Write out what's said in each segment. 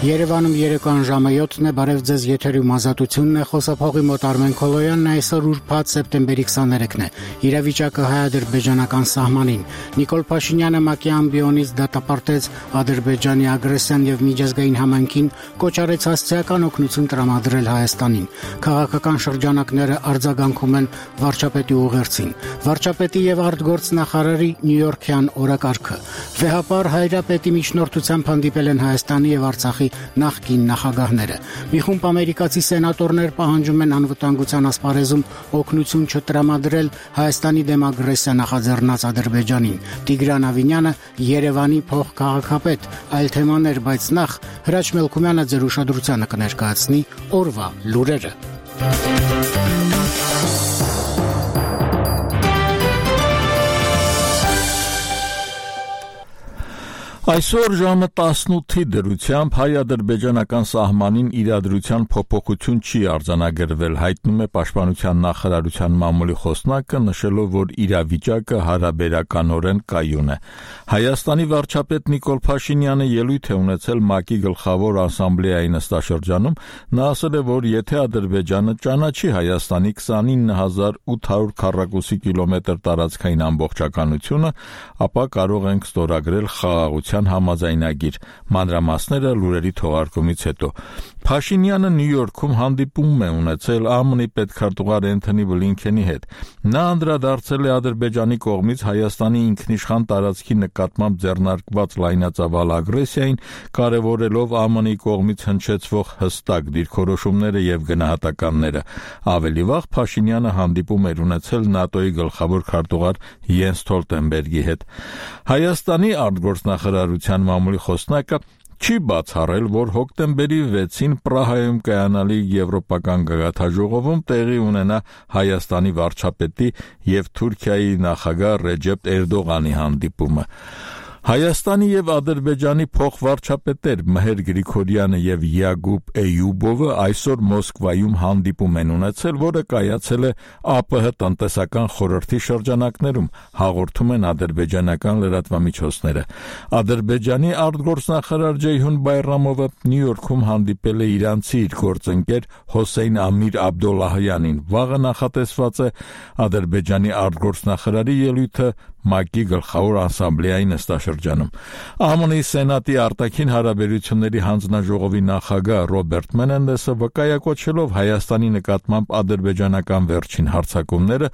Երևանում երեկոյան ժամը 7-ն է, բարև ձեզ, եթերում ազատությունն է, խոսափողի մոտ Արմեն Քոլոյանն է, այսօր ուրբաթ սեպտեմբերի 23-ն է, իրավիճակը հայ-ադրբեջանական սահմանին, Նիկոլ Փաշինյանը ՄԱԿ-ի ամբիոնից դատապարտեց Ադրբեջանի ագրեսիան եւ միջազգային համայնքին կոչ արեց հասցեական օգնություն տրամադրել Հայաստանին, քաղաքական շրջանակները արձագանքում են վարչապետի ուղերձին, վարչապետի եւ արտգործնախարարի նյույորքյան օրակարգը, վեհապար հայրապետի միջնորդությամբ հանդիպել են Հայաստանի եւ Արցախի նախկին նախագահները։ Մի խումբ ամերիկացի սենատորներ պահանջում են անվտանգության ասպարեզում օգնություն չտրամադրել Հայաստանի դեմ ագրեսիա նախաձեռնած Ադրբեջանին։ Տիգրան Ավինյանը Երևանի փոխքաղաքապետ, այլ թեմաներ, բայց նախ Հրաչ Մելքումյանը ձեր ուշադրությանը կներկայացնի օրվա լուրերը։ Այսօր ժամը 18-ի դրությամբ հայ-ադրբեջանական սահմանին իրադրության փոփոխություն չի արձանագրվել, հայտնում է Պաշտպանության նախարարության մամուլի խոսնակը, նշելով, որ իրավիճակը հարաբերականորեն կայուն է։ Հայաստանի վարչապետ Նիկոլ Փաշինյանը ելույթ է ունեցել ՄԱԿ-ի գլխավոր ասամբլեայի նստաշրջանում, նա ասել է, որ եթե Ադրբեջանը ճանաչի Հայաստանի 29800 քառակուսի կիլոմետր տարածքային ամբողջականությունը, ապա կարող ենք ստորագրել խաղաղության համաձայնագիր, մանրամասները լուրերի թողարկումից հետո։ Փաշինյանը Նյու Յորքում հանդիպում է ունեցել ԱՄՆ-ի պետքարտուղար Էնթոնի Բլինքենի հետ։ Նա անդրադարձել է Ադրբեջանի կողմից Հայաստանի ինքնիշխան տարածքի նկատմամբ ձեռնարկված լայնածավալ ագրեսիային, կարևորելով ԱՄՆ-ի կողմից հնչեցվող հստակ դիրքորոշումները եւ գնահատականները։ Ավելի վաղ Փաշինյանը հանդիպում էր ունեցել ՆԱՏՕ-ի գլխավոր քարտուղար Յենս Ստոլտենբերգի հետ։ Հայաստանի արտգործնախարարության մամուլի խոսնակը չի բացառել, որ հոկտեմբերի 6-ին Պրահայում կայանալի եվրոպական գագաթնաժողովում տեղի ունենա Հայաստանի վարչապետի եւ Թուրքիայի նախագահ Ռեջեփ Էրդողանի հանդիպումը։ Հայաստանի եւ Ադրբեջանի փոխվարչապետեր Մհեր Գրիգորյանը եւ Յակուբ Էյուբովը այսօր Մոսկվայում հանդիպում են ունեցել, որը կայացել է ԱՊՀ տնտեսական խորհրդի շրջանակներում, հաղորդում են ադրբեջանական լրատվամիջոցները։ Ադրբեջանի արտգործնախարար Ջեյհուն Բայրամովը Նյու Յորքում հանդիպել է իրանցի իր գործընկեր Հոսեյն Ամիր Աբդոլլահյանին։ Վաղը նախատեսված է Ադրբեջանի արտգործնախարարի ելույթը ՄԱԿ-ի գլխավոր ասամբլեայի նստաշրջանում։ ԱՄՆ-ի Սենատի արտաքին հարաբերությունների հանձնաժողովի նախագահ Ռոբերտ Մենենդեսը վկայակոչելով Հայաստանի նկատմամբ ադրբեջանական վերջին հարձակումները,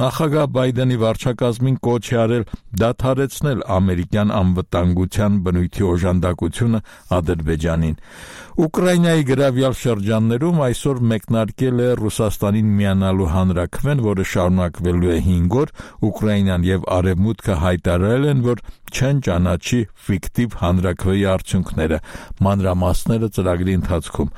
նախագահ Բայդենի վարչակազմին կոչ է արել դադարեցնել ամերիկյան անվտանգության բնույթի օժանդակությունը Ադրբեջանին։ Ուկրաինայի գրավյալ շրջաններում այսօր մեկնարկել է Ռուսաստանին միանալու հանրաքվեն, որը շարունակվելու է 5 օր, Ուկրաինան եւ Արևմուտքը հայտարարել են, որ չեն ճանաչի ֆիկտիվ հանրաքվեի արդյունքները, մանրամասները ծրագրի ընթացքում։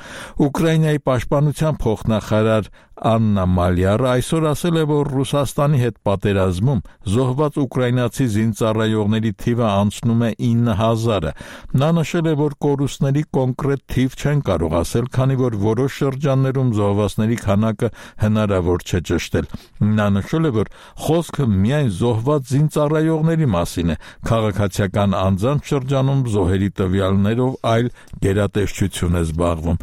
Ուկրաինայի պաշտպանության փոխնախարար Աննա Մալյարը այսօր ասել է, որ Ռուսաստանի հետ պատերազմում զոհված ուկրաինացի զինծառայողների թիվը անցնում է 9000-ը։ Նա նշել է, որ կորուստների կոնկրետ թիվ չեն կարող ասել, քանի որ որոշ շրջաններում զոհվածների քանակը հնարավոր չէ ճշտել։ Նա նշել է, որ խոսքը միայն զոհված զինծառայողների մասին է, քաղաքացիական անձանց շրջանում զոհերի տվյալներով այլ գերատեսչություն է զբաղվում։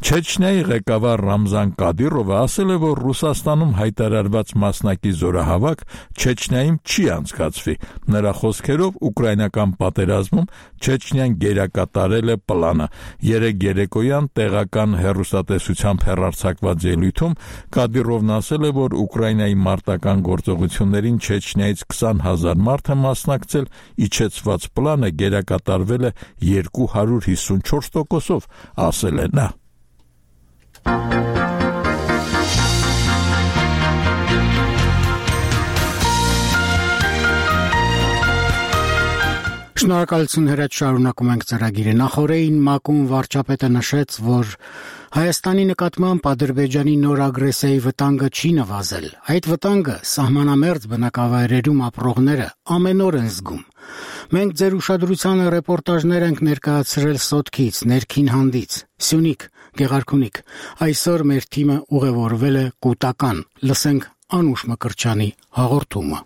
Չեչնիայի ղեկավար Ռամզան Կադիրովը ասել է, որ Ռուսաստանում հայտարարված մասնակի զորահավաք Չեչնիայում չի անցկացվի։ Նրա խոսքերով ուկրաինական պատերազմում Չեչնիան գերակատարել է պլանը։ Երեկ երեկոյան տեղական հեռուստատեսությամբ հեռարձակված ելույթում Կադիրովն ասել է, որ Ուկրաինայի մարտական գործողություններին Չեչնիայից 20000 մարդ է մասնակցել, իջեցված պլանը գերակատարվել է 254%, ասել է նա։ Շնորհակալություն Հրաչ, շարունակում ենք ծրագիրը։ Նախորդին ՄԱԿ-ում վարչապետը նշեց, որ Հայաստանի նկատմամբ Ադրբեջանի նոր ագրեսիայի վտանգը չի նվազել։ Այդ վտանգը սահմանամերձ բնակավայրերում ապրողները ամեն օր են զգում։ Մենք ձեր ուշադրությանը ռեպորտաժներ ենք ներկայացրել Սոտքից, Ներքին Հանդից, Սյունիք, Գեղարքունիք։ Այսօր մեր թիմը ուղևորվել է Կուտական։ Լսենք Անուշ Մկրտչյանի հաղորդումը։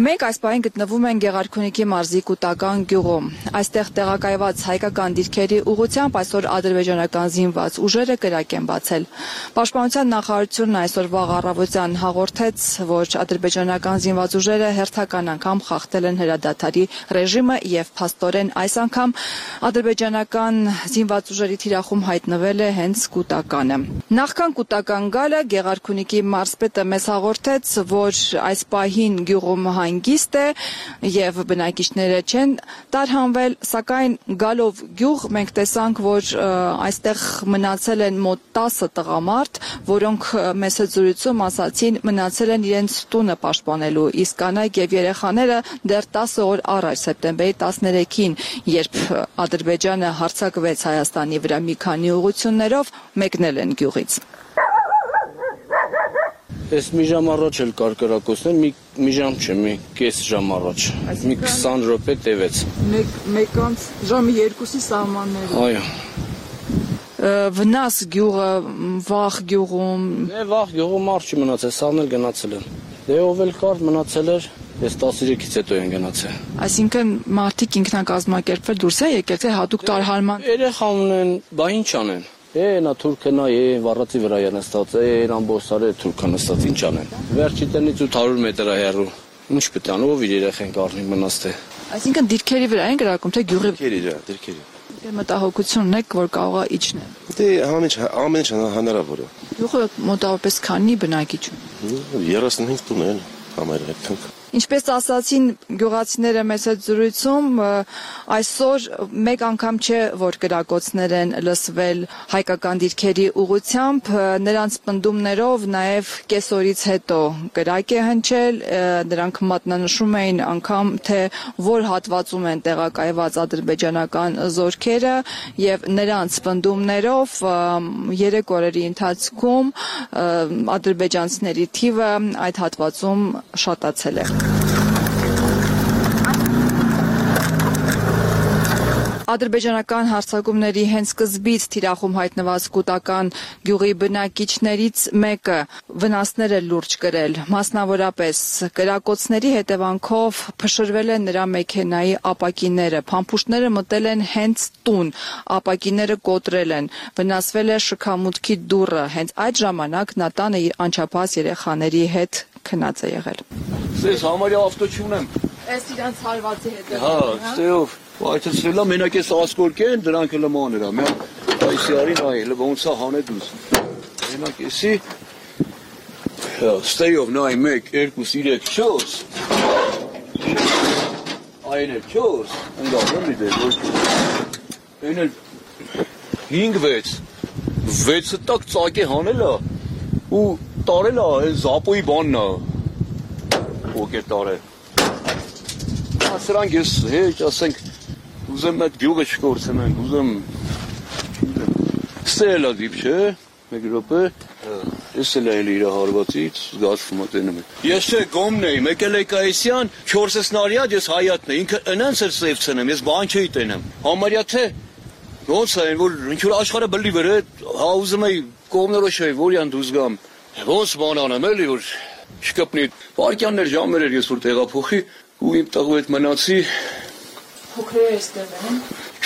Մենք այս պահին գտնվում ենք Գեղարքունիքի մարզի Կուտական գյուղում։ Այստեղ տեղակայված հայկական դիրքերի ուղղությամբ այսօր ադրբեջանական զինված ուժերը կրակ են բացել։ Պաշտպանության նախարարությունն այսօր վաղ առավոտյան հաղորդեց, որ ադրբեջանական զինված ուժերը հերթական անգամ խախտել են հրադադարի ռեժիմը եւ փաստորեն այս անգամ ադրբեջանական զինված ուժերի թիրախում հայտնվել է հենց Կուտականը։ Նախքան Կուտական գալը Գեղարքունիքի մարզպետը մեզ հաղորդեց, որ այս պահին գյուղում հանգիստ է եւ բնակիչները չեն տարհանվել, սակայն գալով գյուղ մենք տեսանք, որ այստեղ մնացել են մոտ 10 տղամարդ, որոնք մեծ զրույցում ասացին մնացել են իրենց տունը պաշտպանելու, իսկ կանայք եւ երեխաները դեռ 10 օր առաջ սեպտեմբերի 13-ին, երբ Ադրբեջանը հարձակվեց Հայաստանի վրա մի քանի ուղղություններով, մեկնել են գյուղից։ Ես մի ժամ առաջ էլ կար կրակոցներ, մի ժամ չէ, մի կես ժամ առաջ, մի 20 րոպե տևեց։ Մեկանց ժամի 2-ի սահմաններում։ Այո։ Վնաս գյուղը, վաղ գյուղում։ Վաղ գյուղում մարդ չի մնացել, սաղն էլ գնացել են։ Ով էլ կար մնացել էր, ես 13-ից հետո են գնացել։ Այսինքն մարդիկ ինքնակազմակերպվել դուրս է եկել, թե հատուկ տարհանման։ Երեխա ունեն, բա ինչ անեն։ Նա թուրքը նա վառածի վրա է նստած, ամբողջարը թուրքը նստած ինչ անեն։ Վերջի տնից 800 մետր հեռու։ Ինչ պետք է անի, ով իր երեխեն կառնի մնաց թե։ Այսինքն դիրքերի վրա են գրակում, թե գյուղի։ Դիրքերի։ Մտահոգություն ունեք, որ կարող է իջնել։ Ամեն ինչ հնարավոր է։ Գյուղը մոտավորապես քանի բնակիչ ունի։ 35 տուն են համարյա։ Ինչպես ասացին գյուղացիները մեծ զրույցում, այսօր մեկ անգամ չէ, որ կրակոցներ են լսվել հայկական դիրքերի ուղղությամբ, նրանց պնդումներով նաև կեսօրից հետո կրակ է հնչել, նրանք մատնանշում էին անգամ, թե որ հատվածում են տեղակայված ադրբեջանական զորքերը եւ նրանց պնդումներով 3 օրերի ընթացքում ադրբեջանցիների թիվը այդ հատվածում շատացել է։ Ադրբեջանական հարձակումների հենց սկզբից թիրախում հայտնված Կուտական գյուղի բնակիչներից մեկը վնասներ է լուրջ կրել, մասնավորապես կրակոցների հետևանքով փշրվել են նրա մեքենայի ապակիները, փամփուշտները մտել են հենց տուն, ապակիները կոտրել են, վնասվել է շքամուտքի դուռը, հենց այդ ժամանակ նա տանը իր անչափահաս երեխաների հետ քնած է եղել։ Ես համարյա ավտո չունեմ։ Այս իրանց հարվածի հետ։ Հա, ստեով այդտեղը մենակ էս ասկորկեն, դրանք էլ մաներա, մյա այսի արին այ, լը ոնց է հանե դուս։ Մենակ էսի ստեով նայ 1 2 3 4 Այն էլ 4 ընդառնում մի դեր ոչ։ Այն էլ 5 6-ը տակ ծակե հանելա ու տարելա այն զապոյի բանն է։ Ոգե տարել։ Սրանք ես հեչ ասենք ուզեմ այդ գյուղը չկորցնենք, ուզեմ ստելա դիպ չէ, 1 րոպե, ես էլ այլ իր հարվածից զգացվում եմ։ Ես չէ գոմն էի, եկել էի Կայսյան, 4 նարյադ ես հայատն է, ինքը ընանց էր սևցնեմ, ես բան չէի տենեմ։ Համարյա թե ոնց է, որ ինչ որ աշխարհը բլի վրա, հա ուզում էի կողմներով չէի, որյան դուզ գամ։ Ոնց բան անեմ էլի որ չկպնի։ Վարկյաններ ժամեր էր ես որ տեղափոխի ու իմ տղու հետ մնացի։ Փոքրերը այստեղ են։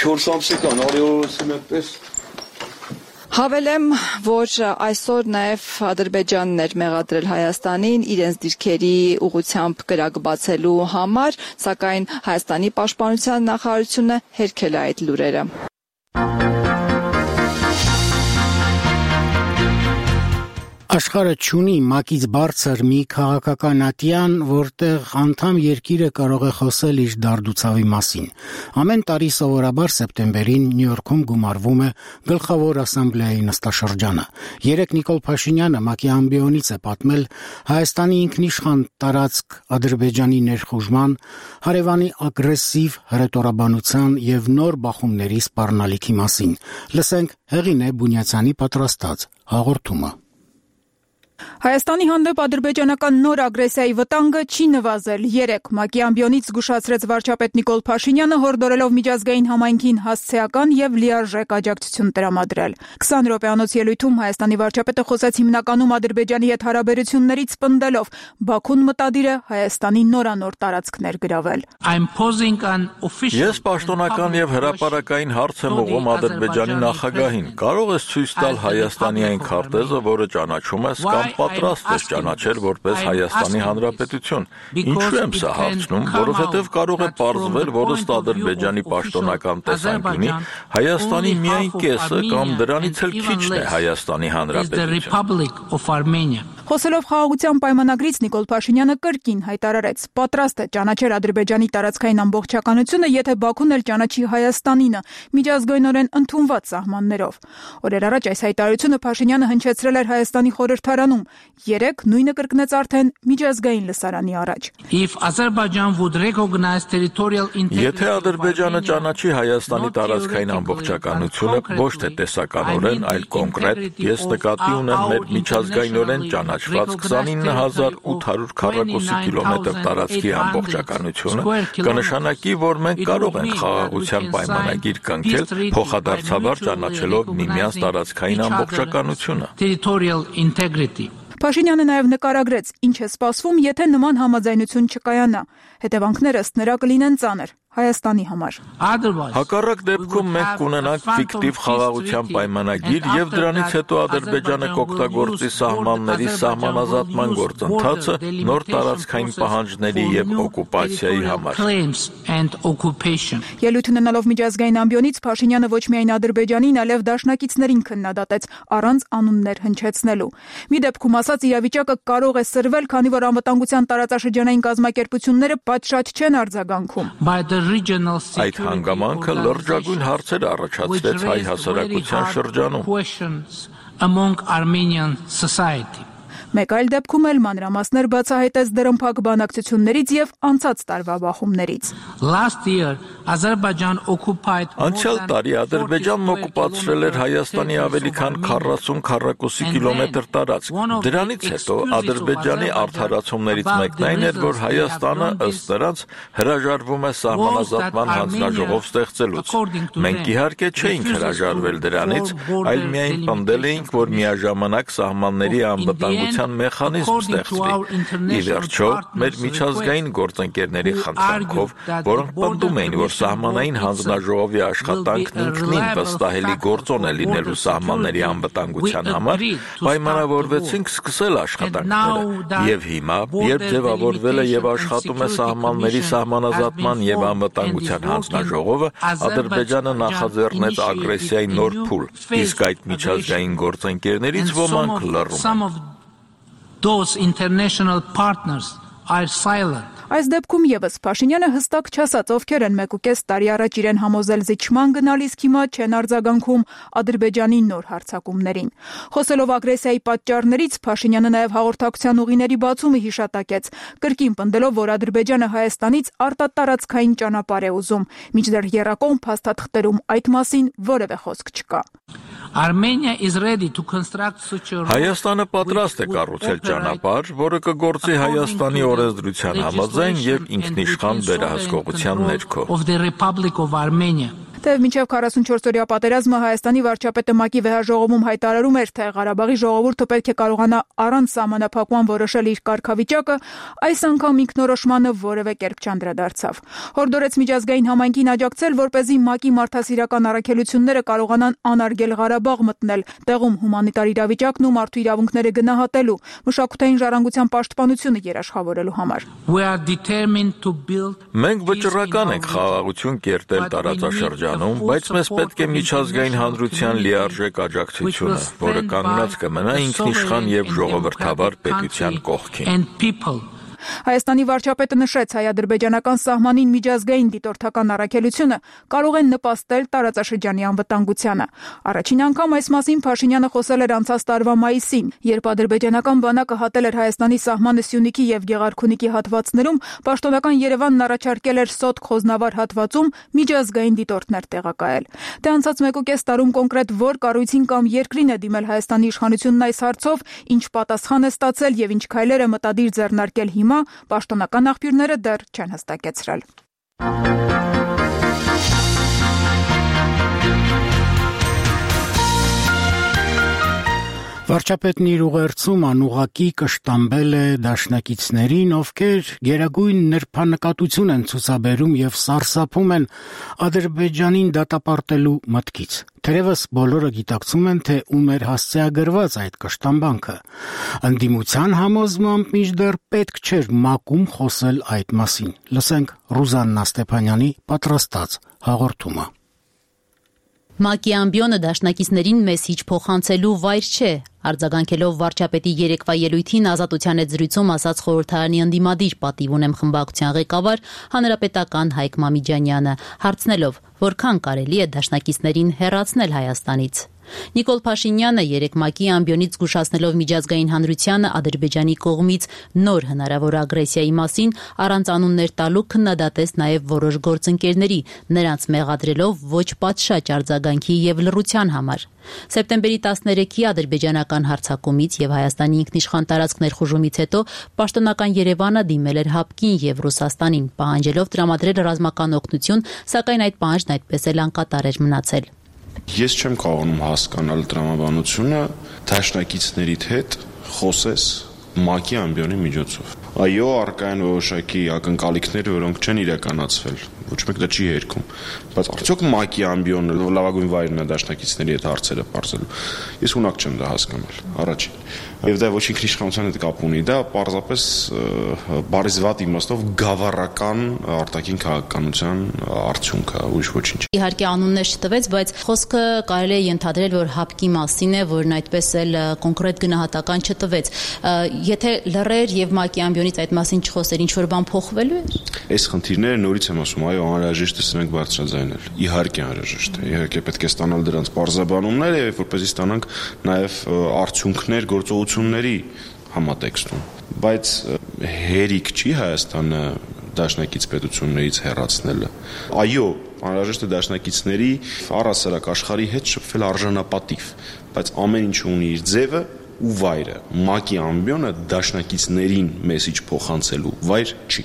4 ամսական արիորոսի մեկպես։ Հավելեմ, որ այսօր նաև Ադրբեջանն էր մեղադրել Հայաստանին իրենց դիրքերի ուղղությամբ կրակ բացելու համար, սակայն Հայաստանի պաշտպանության նախարարությունը հերքել է այդ լուրերը։ Աշխարհը չունի մակից բարձր մի քաղաքական ատյան, որտեղ անդամ երկիրը կարող է խոսել իր դարդուցավի մասին։ Ամեն տարի սովորաբար սեպտեմբերին Նյու Յորքում գումարվում է Գլխավոր ասամբլեայի նստաշրջանը։ Երեկ Նիկոլ Փաշինյանը ՄԱԿ-ի ամբիոնից է պատմել Հայաստանի ինքնիշխան տարածք Ադրբեջանի ներխուժման, հարևանի ագրեսիվ հրետորաբանության եւ նոր բախումների սպառնալիքի մասին։ Լսենք Հեղինե Բունյացյանի պատրաստած հաղորդումը։ Հայաստանի հանդեպ ադրբեջանական նոր ագրեսիայի վտանգը չի նվազել։ 3 ՄԱԿ-ի ամբիոնից զգուշացրեց վարչապետ Նիկոլ Փաշինյանը, հորդորելով միջազգային համայնքին հասցեական եւ լիարժեք աջակցություն տրամադրել։ 20 րոպեանոց ելույթում Հայաստանի վարչապետը խոսեց հիմնականում Ադրբեջանի հետ հարաբերություններից պնդելով, Բաքուն մտադիր է Հայաստանի նորանոր տարածքներ գրավել։ Ես պաշտոնական եւ հրապարակային հարց եմ ուղղում Ադրբեջանի նախագահին։ Կարող ես ցույց տալ Հայաստանի այն քարտեզը, որը ճանաչում ես կամ պատրաստ ես ճանաչել որպես Հայաստանի Հանրապետություն։ Ինչու եմ սա հարցնում, որովհետև կարող է պարզվել, որ ըստ Ադրբեջանի պաշտոնական տեսանկյունի Հայաստանի միայն կեսը կամ դրանից էլ քիչն է Հայաստանի Հանրապետություն։ Խոսելով խաղաղության պայմանագրից Նիկոլ Փաշինյանը կրկին հայտարարեց. պատրաստ է ճանաչել Ադրբեջանի տարածքային ամբողջականությունը, եթե Բաքուն էլ ճանաչի Հայաստանինը միջազգայինորեն ընդունված սահմաններով։ Օրեր առաջ այս հայտարարությունը Փաշինյանը հնչեցրել էր Հայաստանի խորհրդարանում, 3 նույնը կրկնեց արդեն միջազգային լսարանի առաջ։ Եթե Ադրբեջանը ճանաչի Հայաստանի տարածքային ամբողջականությունը ոչ թե տեսականորեն, այլ կոնկրետ, ես նկատի ունեմ մեր միջազգայինորեն ճանաչված 29800 քառակուսի կիլոմետր տարածքի ամբողջականությունը, կնշանակի, որ մենք կարող ենք խաղաղության պայմանագիր կնքել, փոխադարձաբար ճանաչելով միմյանց տարածքային ամբողջականությունը։ Փաշինյանը նաև նկարագրեց, ինչ է սպասվում, եթե նման համաձայնություն չկայանա։ Հետևանքները ըստ նրա կլինեն ծանր Հայաստանի համար։ Հակառակ դեպքում մենք կունենանք ֆիկտիվ խաղաղության պայմանագիր եւ դրանից հետո Ադրբեջանը կօգտագործի սահմանների սահմանազատման գործընթացը նոր տարածքային պահանջների եւ օկուպացիայի համար։ Ելույթ ունենալով միջազգային ամբիոնից Փաշինյանը ոչ միայն Ադրբեջանին, այլև դաշնակիցներին քննադատեց առանց անուններ հնչեցնելու։ Մի դեպքում ասաց, իրավիճակը կարող է սրվել, քանի որ անվտանգության տարածաշրջանային կազմակերպությունները պատշաճ չեն արձագանքում։ Այդ հանգամանքը լրջագույն հարցեր առաջացրեց հայ հասարակության շրջանում։ Մեկ այլ դեպքում էլ մանրամասներ բացահայտեց դրամփակ բանակցություններից եւ անցած տարվա բախումներից։ Անցյալ տարի Ադրբեջանն օկուպացրել էր Հայաստանի ավելի քան 40 քառակուսի կիլոմետր տարածք։ Դրանից հետո Ադրբեջանի արդարացումներից մեկն այն էր, որ Հայաստանը ըստ նրանց հրաժարվում է սահմանազատման հանձնաժողով ստեղծելուց։ Մենք իհարկե չէինք հրաժարվել դրանից, այլ միայն պնդել էինք, որ միաժամանակ սահմանների անվտանգության մեխանիզմ ստեղծվի։ Ի վերջո, մեր միջազգային գործընկերների խնդրանքով, որոնք պնդում էին, որ սահմանային հանձնաժողովի աշխատանքն ինքնին վստահելի գործոն է լինելու սահմանների անվտանգության համար, պայմանավորվեցինք սկսել աշխատանքները։ Եվ հիմա, երբ ձևավորվել է եւ աշխատում է սահմանների սահմանազատման եւ անվտանգության հանձնաժողովը, Ադրբեջանը նախաձեռնեց ագրեսիայի նոր փուլ, իսկ այդ միջազգային գործընկերներից ոմանք լռում են։ Those international partners are silent. Այս դեպքում եւս Փաշինյանը հստակ չասաց, ովքեր են 1.5 տարի առաջ իրեն համոզել զիջման գնալ, իսկ հիմա չեն արձագանքում Ադրբեջանի նոր հարձակումներին։ Խոսելով ագրեսիայի պատճառներից, Փաշինյանը նաև հաղորդակցության ուղիների բացումը հիշատակեց, կրկին պնդելով, որ Ադրբեջանը Հայաստանից արտատարածքային ճանապարհ է ուզում, մինչդեռ եռակողմ փաստաթղթերում այդ մասին որևէ խոսք չկա։ Հայաստանը պատրաստ է կառուցել ճանապարհ, որը կգործի Հայաստանի օրենսդրության համաձայն եւ ինքնիշխան վերահսկողության ներքո։ Թեև մինչև 44-օրյա պատերազմը Հայաստանի վարչապետը ՄԱԿ-ի վեհաժողովում հայտարարում էր, թե Ղարաբաղի ժողովուրդը պետք է կարողանա առանց սահմանափակման որոշել իր կարգավիճակը, այս անգամ ինքնորոշմանը որևէ կերպ չանդրադարձավ։ Հորդորեց միջազգային համայնքին աջակցել, որպեսզի ՄԱԿ-ի մարդասիրական առաքելությունները կարողանան անարգել Ղարաբաղ մտնել, տեղում հումանիտար իրավիճակն ու մարդու իրավունքները գնահատելու, մշակութային ժառանգության պաշտպանությունը երաշխավորելու համար։ Մենք վճռական ենք խաղաղություն կերտել տարածաշրջանում, բայց մեզ պետք է միջազգային հանրության լիարժեք աջակցությունը, որը կանգնած կմնա ինքնիշխան եւ ժողովրդավար պետության կողքին։ Հայաստանի վարչապետը նշեց, հայ-ադրբեջանական սահմանին միջազգային դիտորդական առաքելությունը կարող է նպաստել տարածաշրջանի անվտանգությանը։ Առաջին անգամ այս մասին Փաշինյանը խոսել էր անցած տարվա մայիսին, երբ ադրբեջանական բանակը հատել էր Հայաստանի սահմանը Սյունիքի եւ Գեղարքունիքի հատվածներում, պաշտոնական Երևանն առաջարկել էր Սոտք-Խոզնավար հատվածում միջազգային դիտորդներ տեղակայել։ Դե անցած 1.5 տարում կոնկրետ որ կառույցին կամ երկրին է դիմել Հայաստանի իշխանությունն այս հարցով, ինչ պատասխան է ստացել եւ ինչ քայլեր է մտադիր ձեռնարկել հիմա, պաշտոնական աղբյուրները դեռ չեն հստակեցրել։ Վարչապետն իր ուղերձում անուղղակի կշտամբել է դաշնակիցներին, ովքեր գերագույն նրբանկատություն են ցուցաբերում եւ սարսափում են Ադրբեջանին դատապարտելու մտքից։ Թերևս բոլորը գիտակցում են, թե ում էր հասցեագրված այդ կշտամբանքը։ Ընդդիմության համոզմամբ մինչդեռ պետք չէր մակում խոսել այդ մասին։ Լսենք Ռուզաննա Ստեփանյանի պատրաստած հաղորդումը։ ՄԱԿ-ի ամբիոնը դաշնակիցներին մեզ հիչ փոխանցելու վայր չէ, արձագանքելով վարչապետի երեկվա ելույթին Ազատության հետ զրույցում ասաց խորհրդարանի ընդդիմադիր պատիվ ունեմ խմբակցության ղեկավար հանրապետական Հայկ Մամիջանյանը, հարցնելով, որքան կարելի է դաշնակիցներին հեռացնել Հայաստանից։ Նիկոլ Փաշինյանը երեկ ՄԱԿ-ի ամբիոնից զգուշացնելով միջազգային հանրությանը Ադրբեջանի կողմից նոր հնարավոր ագրեսիայի մասին առանց անուններ տալու քննադատեց նաև որոշ գործընկերների, նրանց մեղադրելով ոչ պատշաճ արձագանքի եւ լռության համար։ Սեպտեմբերի 13-ի ադրբեջանական հարձակումից եւ Հայաստանի ինքնիշխան տարածք ներխուժումից հետո պաշտոնական Երևանը դիմել էր ՀԱՊԿ-ին եւ Ռուսաստանին, պահանջելով տրամադրել ռազմական օգնություն, սակայն այդ պահանջն այդպես էլ անկատար էր մնացել։ Ես չեմ կարողանում հասկանալ տրամաբանությունը դաշնակիցներիդ հետ խոսես ՄԱԿ-ի ամբիոնի միջոցով։ Այո, առկա են որոշակի ակնկալիքներ, որոնք չեն իրականացվել, ոչ մեկ դա չի հերքում, բայց արդյոք ՄԱԿ-ի ամբիոնը լավագույն վայրն է դաշնակիցների հետ հարցերը բարձելու։ Ես ունակ չեմ դա հասկանալ, առաջին։ Եվ դա ոչ ինքնիշխանության հետ կապ ունի, դա պարզապես բարիզվատ իմաստով գավառական արտաքին քաղաքականության արդյունք է, ուրիշ ոչինչ։ Իհարկե անուններ չտվեց, բայց խոսքը կարելի է ենթադրել, որ ՀԱՊԿ-ի մասին է, որն այդպես էլ կոնկրետ գնահատական չտվեց։ Եթե լռեր եւ ՄԱԿ-ի ամբիոնից այդ մասին չխոսեր, ինչ որ բան փոխվելու է։ Այս խնդիրները նորից եմ ասում, այո, անհրաժեշտ է սրանք բարձրաձայնել։ Իհարկե անհրաժեշտ է։ Իհարկե պետք է ստանալ դրանց բարձրաբանումներ եւ որպեսզի ստանանք նաեւ արդյունքներ գործողությունների համատեքստում։ Բայց հերիք չի Հայաստանը դաշնակից պետություններից հեռացնելը։ Այո, անհրաժեշտ է դաշնակիցների առասարակ աշխարհի հետ շփվել արժանապատիվ, բայց ամեն ինչ ունի իր ձևը ու վայրը։ ՄԱԿ-ի ամբիոնը դաշնակիցներին մեսիջ փոխանցելու վայր չի։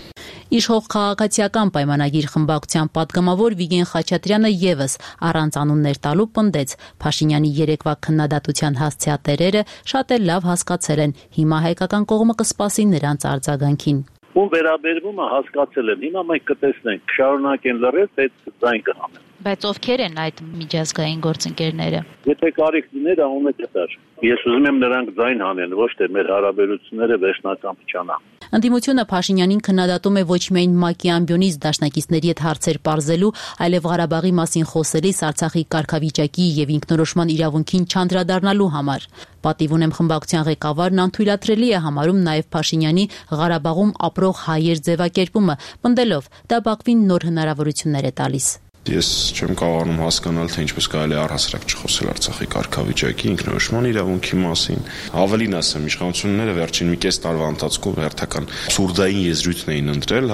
Իշխող քաղաքացիական պայմանագիր խմբակցության պատգամավոր Վիգեն Խաչատրյանը եւս առանց անուններ տալու պնդեց Փաշինյանի երեկվա քննադատության հասցեատերերը շատ էլ լավ հասկացել են, հիմա հայկական կողմը կսպասի նրանց արձագանքին։ Ում վերաբերվում է հասկացել են, հիմա մենք կտեսնենք, շարունակեն լռել, թե ձայն կհանեն։ Բայց ովքեր են այդ միջազգային գործընկերները։ Եթե կարիք լիներ, անունը կտար։ Ես ուզում եմ նրանք ձայն հանեն, ոչ թե մեր հարաբերությունները վերջնական փչանան։ Ընդդիմությունը Փաշինյանին քննադատում է ոչ միայն ՄԱԿ-ի ամբիոնից դաշնակիցների հետ հարցեր պարզելու, այլև Ղարաբաղի մասին խոսելիս Արցախի կարգավիճակի եւ ինքնորոշման իրավունքին չանդրադառնալու համար։ Պատիվ ունեմ խմբակցության ղեկավարն անթույլատրելի է համարում նաեւ Փաշինյանի Ղարաբաղում ապրող հայեր ձևակերպումը, պնդելով դա Բաքվին նոր հնարավորություններ է տալիս։ Ես չեմ կարողանում հասկանալ, թե ինչպես կարելի է առհասարակ չխոսել Արցախի կարգավիճակի, ինքնորոշման իրավունքի մասին։ Ավելին ասեմ, իշխանությունները վերջին մի կես տարվա ընթացքում հերթական սուրդային եզրույթն էին ընտրել,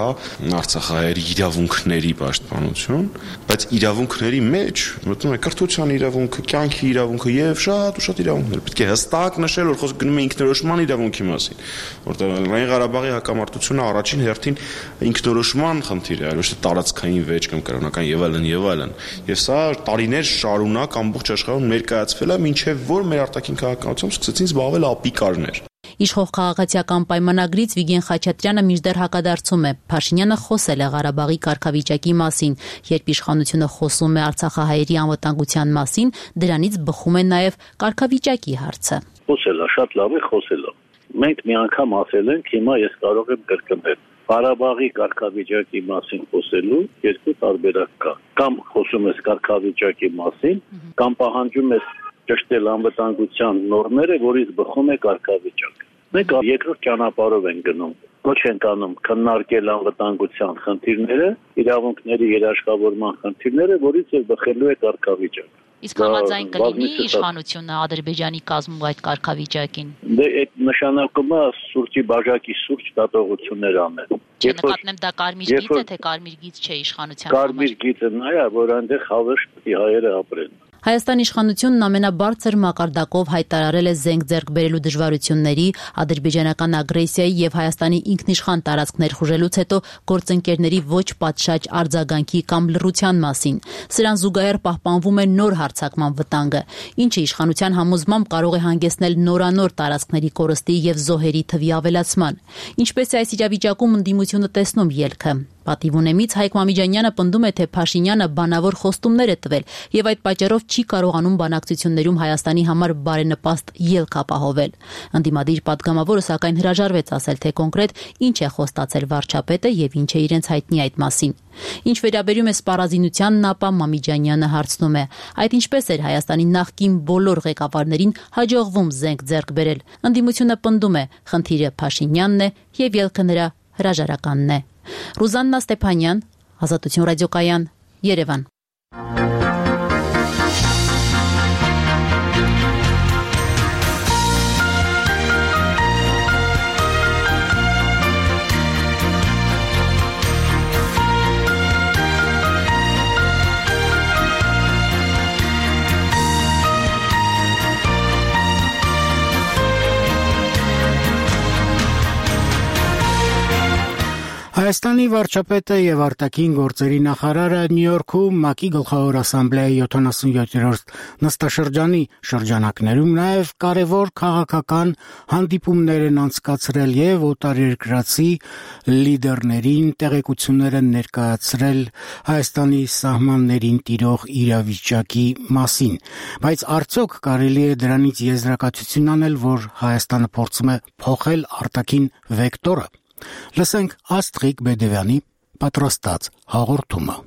Արցախահայերի իրավունքների պաշտպանություն, բայց իրավունքների մեջ մտնում է կրթության իրավունքը, կյանքի իրավունքը եւ շատ ու շատ իրավունքներ։ Պետք է հստակ նշել, որ խոսքը գնում է ինքնորոշման իրավունքի մասին, որտեղ Լեռնային Ղարաբաղի հակամարտությունը առաջին հերթին ինքնորոշման խնդիր է, ոչ թե տարածքային վեճ կամ կրոնական եւ այլն, եւ սա տարիներ շարունակ ամբողջ աշխարհում ներկայացվել է, մինչեւ որ մեր արտաքին քաղաքականությամբ սկսեցին զբաղվել ապիկարներ։ Իշխող քաղաքացիական պայմանագրից Վիգեն Խաչատրյանը մինչդեռ հակադարձում է։ Փաշինյանը խոսել է Ղարաբաղի կարգավիճակի մասին, երբ իշխանությունը խոսում է արցախահայերի անվտանգության մասին, դրանից բխում է նաեւ կարգավիճակի հարցը։ Խոսել է, շատ լավ է խոսել։ Մենք մի անգամ ասել ենք, հիմա ես կարող եմ կրկնել։ Ղարաբաղի կարգավիճակի մասին խոսելու երկու տարբերակ կա։ Կամ խոսում ես կարգավիճակի մասին, կամ պահանջում ես ճշտել անվտանգության նորմերը, որից բխում է կարգավիճակ։ Մենք երկրորդ ճանապարհով ենք գնում։ ոչ ենք անում քննարկել անվտանգության խնդիրները, իրավունքների երաշխավորման խնդիրները, որից եւ բխելու է կարգավիճակ։ Իսկ համաձայն կլինի իշխանությունը Ադրբեջանի կազմում այդ կարգավիճակին։ Դե այդ նշանակում է սուրճի բաժակի սուրճ դատողություններ անել։ Չէ, նկատեմ դա կարմիր գիծ է, թե կարմիր գիծ չէ իշխանության համար։ Կարմիր գիծը նա է, որ այնտեղ հավերժ պետք է հայերը ապրեն։ Հայաստանի իշխանությունն ամենաբարձր մակարդակով հայտարարել է զենք ձեռք բերելու դժվարությունների, ադրբեջանական ագրեսիայի եւ Հայաստանի ինքնիշխան տարածքներ խուժելուց հետո գործընկերների ոչ պատշաճ արձագանքի կամ լռության մասին։ Սրան զուգահեռ պահպանվում է նոր հարձակման վտանգը, ինչը իշխանության համոզմամբ կարող է հանգեցնել նորանոր տարածքների կորստի եւ զոհերի թվի ավելացման։ Ինչպես է այս իրավիճակում ընդդիմությունը տեսնում ելքը։ Պատիվ ունեմից Հայկ Մամիջանյանը պնդում է, թե Փաշինյանը բանավոր խոստումներ է տվել եւ այդ պատճառով չի կարողանում բանակցություններում Հայաստանի համար բարենպաստ ելք ապահովել։ Ընդդիմադիր պատգամավորը սակայն հրաժարվեց ասել, թե կոնկրետ ինչ է խոստացել վարչապետը եւ ինչ է իրենց հայտնի այդ մասին։ Ինչ վերաբերում է սպառազինությանն, ապա Մամիջանյանը հարցնում է. այդ ինչպես էր Հայաստանի նախկին բոլոր ղեկավարներին հաջողվում զենք ձեռք բերել։ Ընդդիմությունը պնդում է, խնդիրը Փաշինյանն է եւ ելքը նրա հրաժարականն է։ Ռուզաննա Ստեփանյան, Ազատություն ռադիոկայան, Երևան։ Հայաստանի վարչապետը եւ արտաքին գործերի նախարարը Նյու Յորքում ՄԱԿ-ի գլխավոր ասամբլեայի 77-րդ նստաշրջանի շրջանակներում նաեւ կարևոր քաղաքական հանդիպումներ են անցկացրել եւ օտարերկրացի լիդերներին տեղեկություններ են ներկայացրել Հայաստանի սահմաններին տիրող իրավիճակի մասին, բայց արդյոք կարելի է դրանից եզրակացություն անել, որ Հայաստանը փորձում է փոխել արտաքին վեկտորը։ Լսենք Աստղիկ Բեդևյանի պատրաստած հաղորդումը։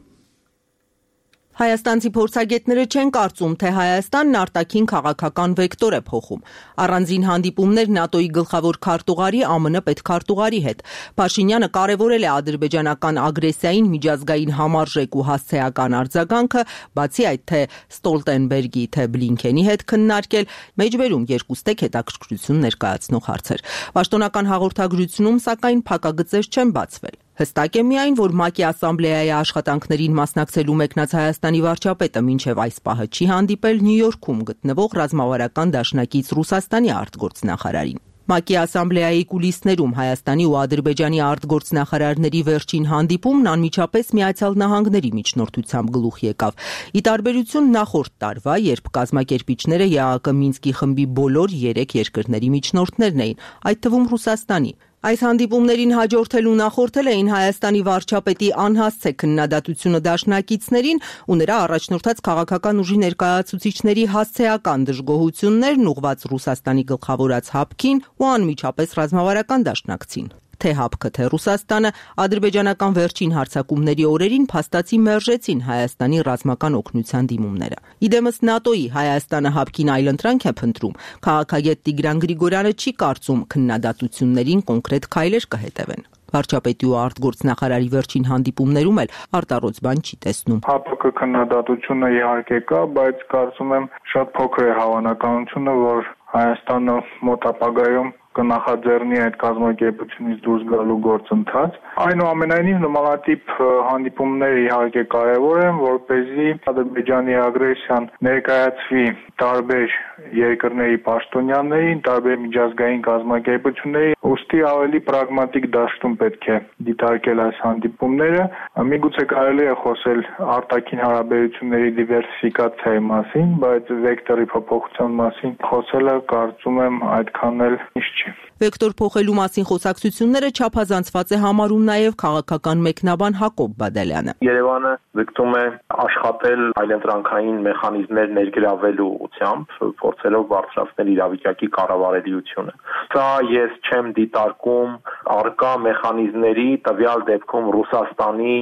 Հայաստանցի փորձագետները չեն կարծում, թե Հայաստանն արտաքին քաղաքական վեկտոր է փոխում։ Առանձին հանդիպումներ ՆԱՏՕ-ի գլխավոր քարտուղարի ԱՄՆ պետքարտուղարի հետ։ Փաշինյանը կարևորել է ադրբեջանական ագրեսիային միջազգային համարժեք ու հասցեական արձագանքը, բացի այդ թե Ստոլտենբերգի, թե Բլինքենի հետ քննարկել, մեջբերում երկուստեք հետաքրքրություն ներկայացնող հարցեր։ Պաշտոնական հաղորդագրությունում սակայն փակագծեր չեն բացվել։ Հստակ է միայն, որ ՄԱԿ-ի ասամբլեայի աշխատանքներին մասնակցելու մեկնած Հայաստանի վարչապետը մինչև այս պահը չի հանդիպել Նյու Յորքում գտնվող ռազմավարական դաշնակից Ռուսաստանի արտգործնախարարին։ ՄԱԿ-ի ասամբլեայի կուլիսներում Հայաստանի ու Ադրբեջանի արտգործնախարարների վերջին հանդիպումն անմիջապես Միացյալ Նահանգների միջնորդությամբ գլուխ եկավ։ Ի տարբերություն նախորդ տարվա, երբ կազմակերպիչները ԵԱՀԿ Մինսկի խմբի բոլոր 3 երկրների միջնորդներն էին, այդ թվում Ռուսաստանի։ Այս հանդիպումներին հաջորդել ու նախորդել էին Հայաստանի վարչապետի անհասցե քննադատությունը դաշնակիցներին ու նրա առաջնորդած քաղաքական ուժի ներկայացուցիչների հասցեական դժգոհություններն ուղղված Ռուսաստանի գլխավորած հապկին ու անմիջապես ռազմավարական դաշնակցին։ Թե հապկը, թե Ռուսաստանը ադրբեջանական վերջին հարձակումների օրերին փաստացի մերժեցին Հայաստանի ռազմական օգնության դիմումները։ Իդեմս ՆԱՏՕ-ի Հայաստանը հապկին այլընտրանք է փնտրում։ Քաղաքագետ Տիգրան Գրիգորյանը չի կարծում քննադատություններին կոնկրետ քայլեր կհետևեն։ Վարչապետի ու արտգործնախարարի վերջին հանդիպումներում էլ արտառոց բան չի տեսնում։ ՀԱՊԿ քննադատությունը իհարկե կա, բայց կարծում եմ շատ փոքր է հավանականությունը, որ Հայաստանը մոտ ապագայում կնախաձեռնի այդ կազմակերպությունից դուրս գալու գործընթաց։ Այնուամենայնիվ նմանատիպ հանդիպումները իհարկե կարևոր են, որպեսզի Ադրբեջանի ագրեսիան ներկայացվի տարբեր երկրների պաշտոնյաներին, տարբեր միջազգային կազմակերպությունների, ուստի ավելի պրագմատիկ դաշտում պետք է դիտարկել այս հանդիպումները։ Միգուցե կարելի է խոսել արտաքին հարաբերությունների դիվերսիֆիկացիայի մասին, բայց վեկտորի փոփոխության մասին խոսելը կարծում եմ այդքան էլ ինչ չի։ Վեկտոր փոխելու մասին խոսակցությունները չափազանցված է համարում նաև քաղաքական մեկնաբան Հակոբ Բադալյանը։ Երևանը ձգտում է աշխատել այլընտրանքային մեխանիզմներ ներգրավելու ուղղությամբ, փորձելով բարձրացնել իրավիճակի կառավարելիությունը։ Սա ես չեմ դիտարկում արկա մեխանիզմների, տվյալ դեպքում Ռուսաստանի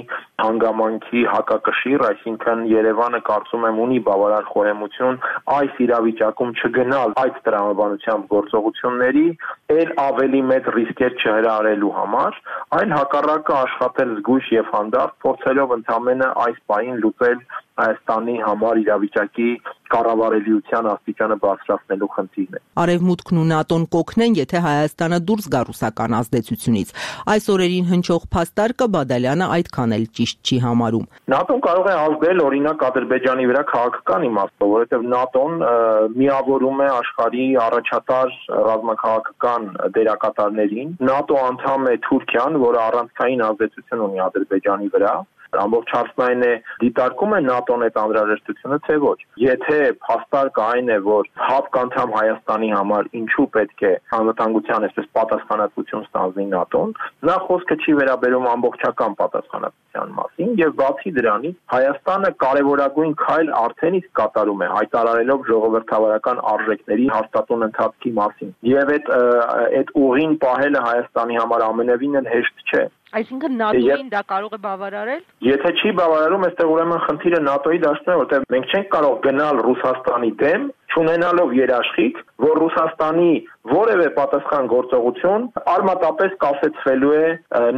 հանգամանքի հակակշիռ, այսինքն Երևանը կարծում եմ ունի բավարար խորհեմություն այս իրավիճակում չգնալ այդ տրամաբանությամբ գործողությունների, ել ավելի մեծ ռիսկեր չհրահրելու համար, այլ հակառակը աշխատել զգույշ եւ հանդարտ, փորձելով ընդամենը այս պահին լուծել Հայաստանի համար իրավիճակի կառավարելիության աստիճանը բարձրացնելու խնդիրն է։ Արևմուտքն ու ՆԱՏՕ-ն կօգնեն, եթե Հայաստանը դուրս գա ռուսական ազդեցությունից։ Այս օրերին հնչող փաստարկը Բադալյանը այդքան էլ ճիշտ չի համարում։ ՆԱՏՕ-ն կարող է ազդել օրինակ Ադրբեջանի վրա քաղաքական իմաստով, որովհետև ՆԱՏՕ-ն միավորում է աշխարհի առաջատար ռազմաքաղաքական դերակատարներին։ ՆԱՏՕ անդամ է Թուրքիան, որը առանցքային ազդեցություն ունի Ադրբեջանի վրա։ Ամբողջ հարցն այն է, դիտարկում է ՆԱՏՕ-ն այդ անհրաժեշտությունը, թե ոչ։ Եթե փաստարկը այն է, որ հապկանդամ Հայաստանի համար ինչու պետք է անվտանգության այսպես պատասխանատվություն ստանձնի ՆԱՏՕ-ն, նա խոսքը չի վերաբերում ամբողջական պատասխանատվության մասին, եւ բացի դրանից Հայաստանը կարևորագույն քայլ արդեն իսկ կատարում է, հայտարարելով ժողովրդավարական արժեքների հաստատուն ընթացքի մասին։ Եվ այդ ուղին պահելը Հայաստանի համար ամենևին էլ հեշտ չէ։ Այսինքն ՆԱՏՕ-ին դա կարող է բավարարել։ Եթե չի բավարարում, այստեղ ուրեմն խնդիրը ՆԱՏՕ-ի դաշտում է, որտեղ մենք չենք կարող գնալ Ռուսաստանի դեմ, չունենալով երաշխիք, որ Ռուսաստանի որևէ պատասխան գործողություն արմատապես կասեցվելու է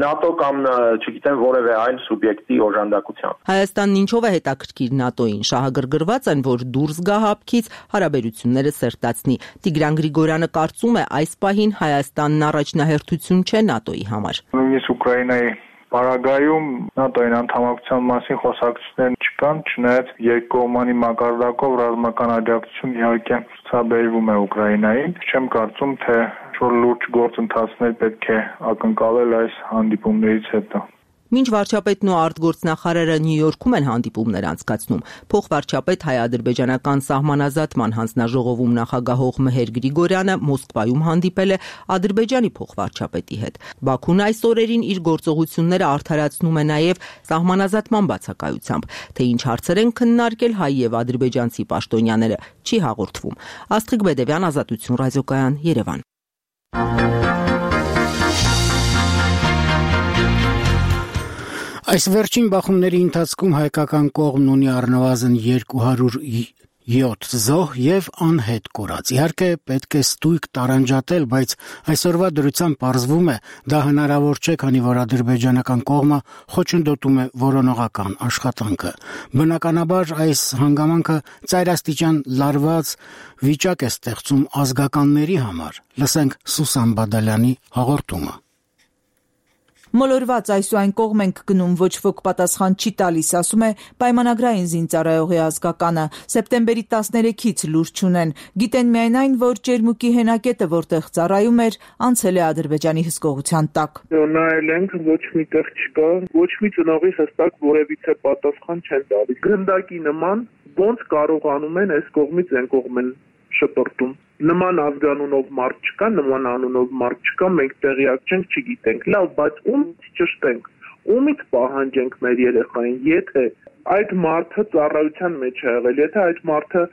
ՆԱՏՕ կամ, չգիտեմ, որևէ այլ սուբյեկտի օժանդակությամբ։ Հայաստանն ինչով է հետաքրքիր ՆԱՏՕ-ին, շահագրգռված են, որ դուրս գա հապկից, հարաբերությունները սերտացնի։ Տիգրան Գրիգորյանը կարծում է, այս պահին Հայաստանն առաջնահերթություն չէ ՆԱՏՕ-ի համար։ Նույնիսկ Ուկրաինայի Պարագայում ՆԱՏՕ-ին անդամակցության մասին խոսակցություններ չկան, չնայած երկկողմանի մակարդակով ռազմական աջակցություն իհարկե ցուցաբերվում է Ուկրաինային։ Չեմ կարծում, թե որ լուրջ գործընթացներ պետք է ակնկալել այս հանդիպումներից հետո։ Մինչ վարչապետն ու արտգործնախարարը Նյու Յորքում են հանդիպումներ անցկացնում, փոխվարչապետ հայ-ադրբեջանական սահմանազատման հանձնաժողովում նախագահող Մհեր Գրիգորյանը Մոսկվայում հանդիպել է Ադրբեջանի փոխվարչապետի հետ։ Բաքուն այս օրերին իր գործողությունները արդարացնում է նաև սահմանազատման բացակայությամբ, թե ինչ հարցեր են քննարկել հայ եւ ադրբեջանցի պաշտոնյաները չի հաղորդվում։ Աստղիկ Բեդևյան, Ազատություն ռադիոկայան, Երևան։ Այս վերջին բախումների ընթացքում հայկական կողմն ունի առնվազն 207 զոհ եւ անհետ կորած։ Իհարկե պետք է ստույգ տարանջատել, բայց այսօրվա դրությամբ պարզվում է դա հնարավոր չէ, քանի որ ադրբեջանական կողմը խոչընդոտում է որոնողական աշխատանքը։ Բնականաբար այս հանգամանքը ծայրաստիճան լարված վիճակ է ստեղծում ազգականների համար։ Լսենք Սուսան Բադալյանի հաղորդումը։ Մոլորված այս ու այն կողմ ենք գնում, ոչ ոք պատասխան չի տալիս, ասում է պայմանագրային զինծառայողի ազգականը։ Սեպտեմբերի 13-ից լուր չունեն։ Գիտեն միայն այն, որ Ճերմուկի հենակետը, որտեղ ծառայում էր, անցել է Ադրբեջանի հսկողության տակ։ Նայել ենք, ոչ միտեղ չկա, ոչ մի ծնողի հստակ որևիցե պատասխան չեն տալիս։ Գնդակի նման ոնց կարողանում են այս կողմից այն կողմ են շպրտում։ Նման ազգանունով մարդ չկա, նման անունով մարդ չկա, մենք տեղյակ չենք, չգիտենք։ Լավ, բայց ումից ճշտենք, ումից պահանջենք մեր երեխային, եթե այդ մարդը ծառայության մեջ է եղել, եթե այդ մարդը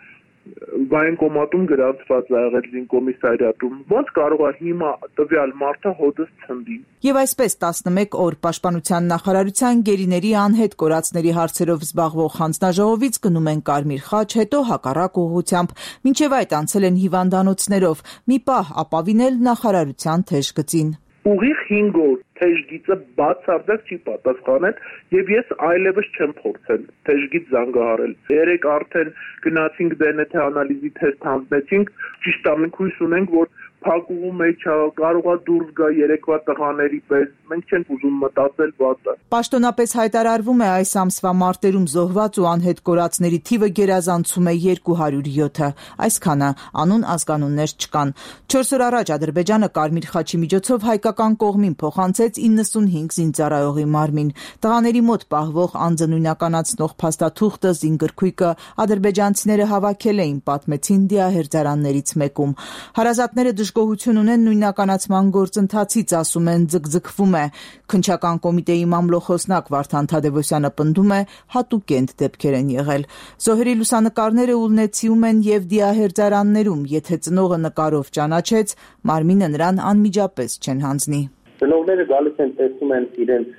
վայնկոմատում գրանցված է եղել զինկոմիսարիատում, ոնց կարող է հիմա տվյալ մարդը հոդս ցնդի։ Եվ այսպես 11 օր պաշտպանության նախարարության գերիների անհետ կորածների հարցերով զբաղվող հանձնաժողովից գնում են Կարմիր խաչ, հետո հակառակ ուղղությամբ, մինչև այդ անցել են հիվանդանոցներով, մի պահ ապավինել նախարարության թեժ գծին։ Ուղիղ 5 օր թեժգիծը բացարձակ չի պատասխանել եւ ես այլևս չեմ փորձել թեժգիծ զանգահարել։ Երեք արդեն գնացինք DNT անալիզի թեստ հանձնեցինք, ճիշտ է, մենք հույս ունենք, որ փակուղու մեջ կարողա դուրս գա երեկվա տղաների պես, մենք չենք ուզում մտածել վատը։ Պաշտոնապես հայտարարվում է այս ամսվա մարտերում զոհված ու անհետ կորածների թիվը գերազանցում է 207-ը, այսքանը անուն ազգանուններ չկան։ 4 օր առաջ Ադրբեջանը Կարմիր խաչի միջոցով հայկական կողմին փոխանցեց 95 զինծառայողի մարմին։ Տղաների մոտ պահվող անձը նույնականացնող փաստաթուղթը, զինգրքույկը ադրբեջանցիները հավաքել էին, պատմեցին դիահերձարաններից մեկում։ Հարազատները դժգոհություն ունեն նույնականացման գործընթացից, ասում են ձգձգվում է։ Քննչական կոմիտեի մամլոխոսնակ Վարդան Թադևոսյանը պնդում է հատուկենտ դեպքեր են եղել։ Զոհերի լուսանկարները ուլնեցիում են եւ դիահերձարաններում, եթե ծնողը նկարով ճանաչեց, մարմինը նրան անմիջապես չեն հանձնի։ Ծնողները գալիս են տեսնում են իրենց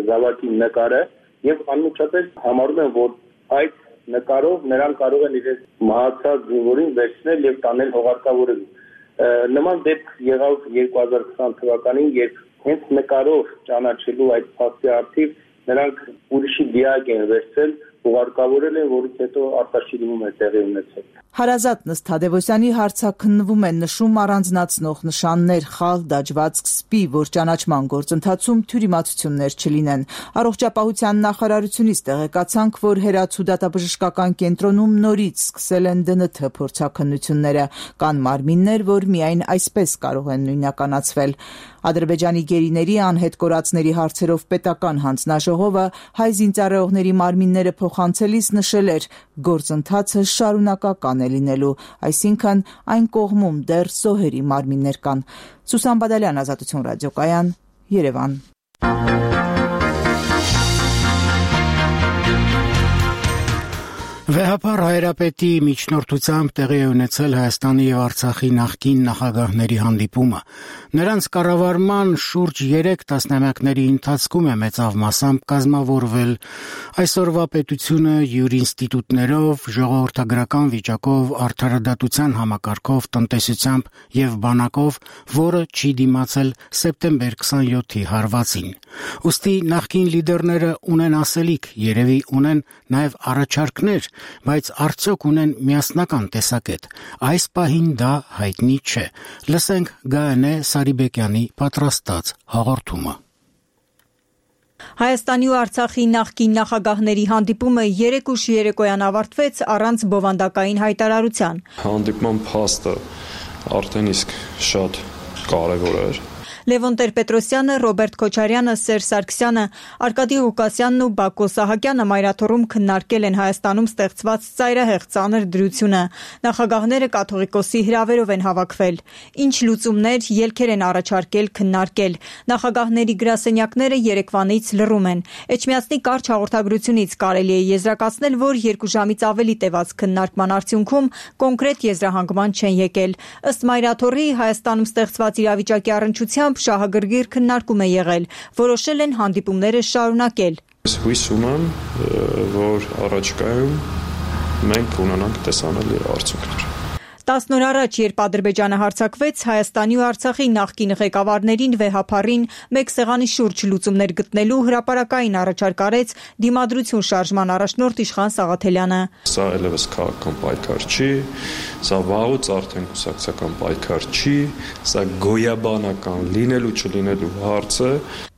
զավակի նկարը եւ անմիջապես համարում են, որ այդ նկարով նրանք կարող են իրենց մահացած զինվորին վերցնել եւ տանել հողարկավորել։ Նման դեպք եղավ 2020 թվականին, երբ հենց նկարով ճանաչելու այդ փաստի արդիվ նրանք ուրիշի դիակ են վերցել, հողարկավորել են, որից հետո արտաշիրում է տեղի ունեցել։ Հարազատ Նստ Թադևոսյանի հարցաքննվում են նշում առանձնացնող նշաններ, խալ, դաջվածք, սպի, որ ճանաչման գործընթացում թյուրիմացություններ չլինեն։ Առողջապահության նախարարությունից տեղեկացանք, որ Հերացու դատաբժշկական կենտրոնում նորից սկսել են ԴՆԹ փորձաքննությունները։ Կան մարմիններ, որ միայն այսպես կարող են նույնականացվել։ Ադրբեջանի գերիների անհետ կորածների հարցերով պետական հանձնաժողովը հայ զինծառայողների մարմինները փոխանցելիս նշել էր, գործընթացը շարունակական է լինելու, այսինքն այն կողմում դեռ զոհերի մարմիններ կան։ Սուսան Բադալյան, Ազատություն ռադիոկայան, Երևան։ Վեհապար հայրապետի միջնորդությամբ տեղի է ունեցել Հայաստանի եւ Արցախի նախկին նախագահների հանդիպումը։ Նրանց կառավարման շուրջ 3 տասնամյակների ընթացքում է մեծավ մասամբ կազմավորվել այսօրվա պետությունը յուրինստիտուտներով, ժողովրդագրական վիճակով, արդարադատության համակարգով, տնտեսությամբ եւ բանակով, որը չի դիմացել սեպտեմբեր 27-ի հարվածին։ Ուստի նախկին լիդերները ունեն ասելիք, երևի ունեն նաեւ առաջարկներ, բայց արդյոք ունեն միասնական տեսակետ։ Այս պահին դա հայտնի չէ։ Լսենք Գայանե Սարիբեկյանի պատրաստած հաղորդումը։ Հայաստանի ու Արցախի նախկին նախագահների հանդիպումը 3 ուշ երեկոյան ավարտվեց առանց բովանդակային հայտարարության։ Հանդիպման փաստը արդեն իսկ շատ կարևոր էր։ Լևոն Տեր-Պետրոսյանը, Ռոբերտ Քոչարյանը, Սերժ Սարգսյանը, Արկադի Ղուկասյանն ու Բակո Սահակյանը մայրաթոռում քննարկել են Հայաստանում ստեղծված ծայրահեղ ծանր դրությունը։ Նախագահները կաթողիկոսի հրավերով են հավաքվել։ Ինչ լուծումներ, ելքեր են առաջարկել, քննարկել։ Նախագահների գրասենյակները երեկվանից լռում են։ Էջմիածնի կարճ հաղորդագրությունից կարելի է եզրակացնել, որ 2 ժամից ավելի տևած քննարկման արդյունքում կոնկրետ եզրահանգման չեն եկել։ Ըստ մայրաթոռի Հայաստանում ստեղծված իրավիճակի առնչությամբ շահագրգիռ քննարկում է եղել, որոշել են հանդիպումները շարունակել։ Հույս ունեմ, որ առաջիկայում մենք ունենանք տեսանելի արդյունքներ։ 10 օր առաջ, երբ Ադրբեջանը հարձակվեց, Հայաստանի ու Արցախի նախկին ղեկավարներին վեհապարին մեկ սեղանի շուրջ լուծումներ գտնելու հրապարակային առաջարկ արեց Դիմադրություն շարժման առաջնորդ Իշխան Սաղաթելյանը։ Սա այլևս քաղաքական պայքար չի, սա վաղուց արդեն կուսակցական պայքար չի, սա գոյաբանական լինելու չլինելու հարց է։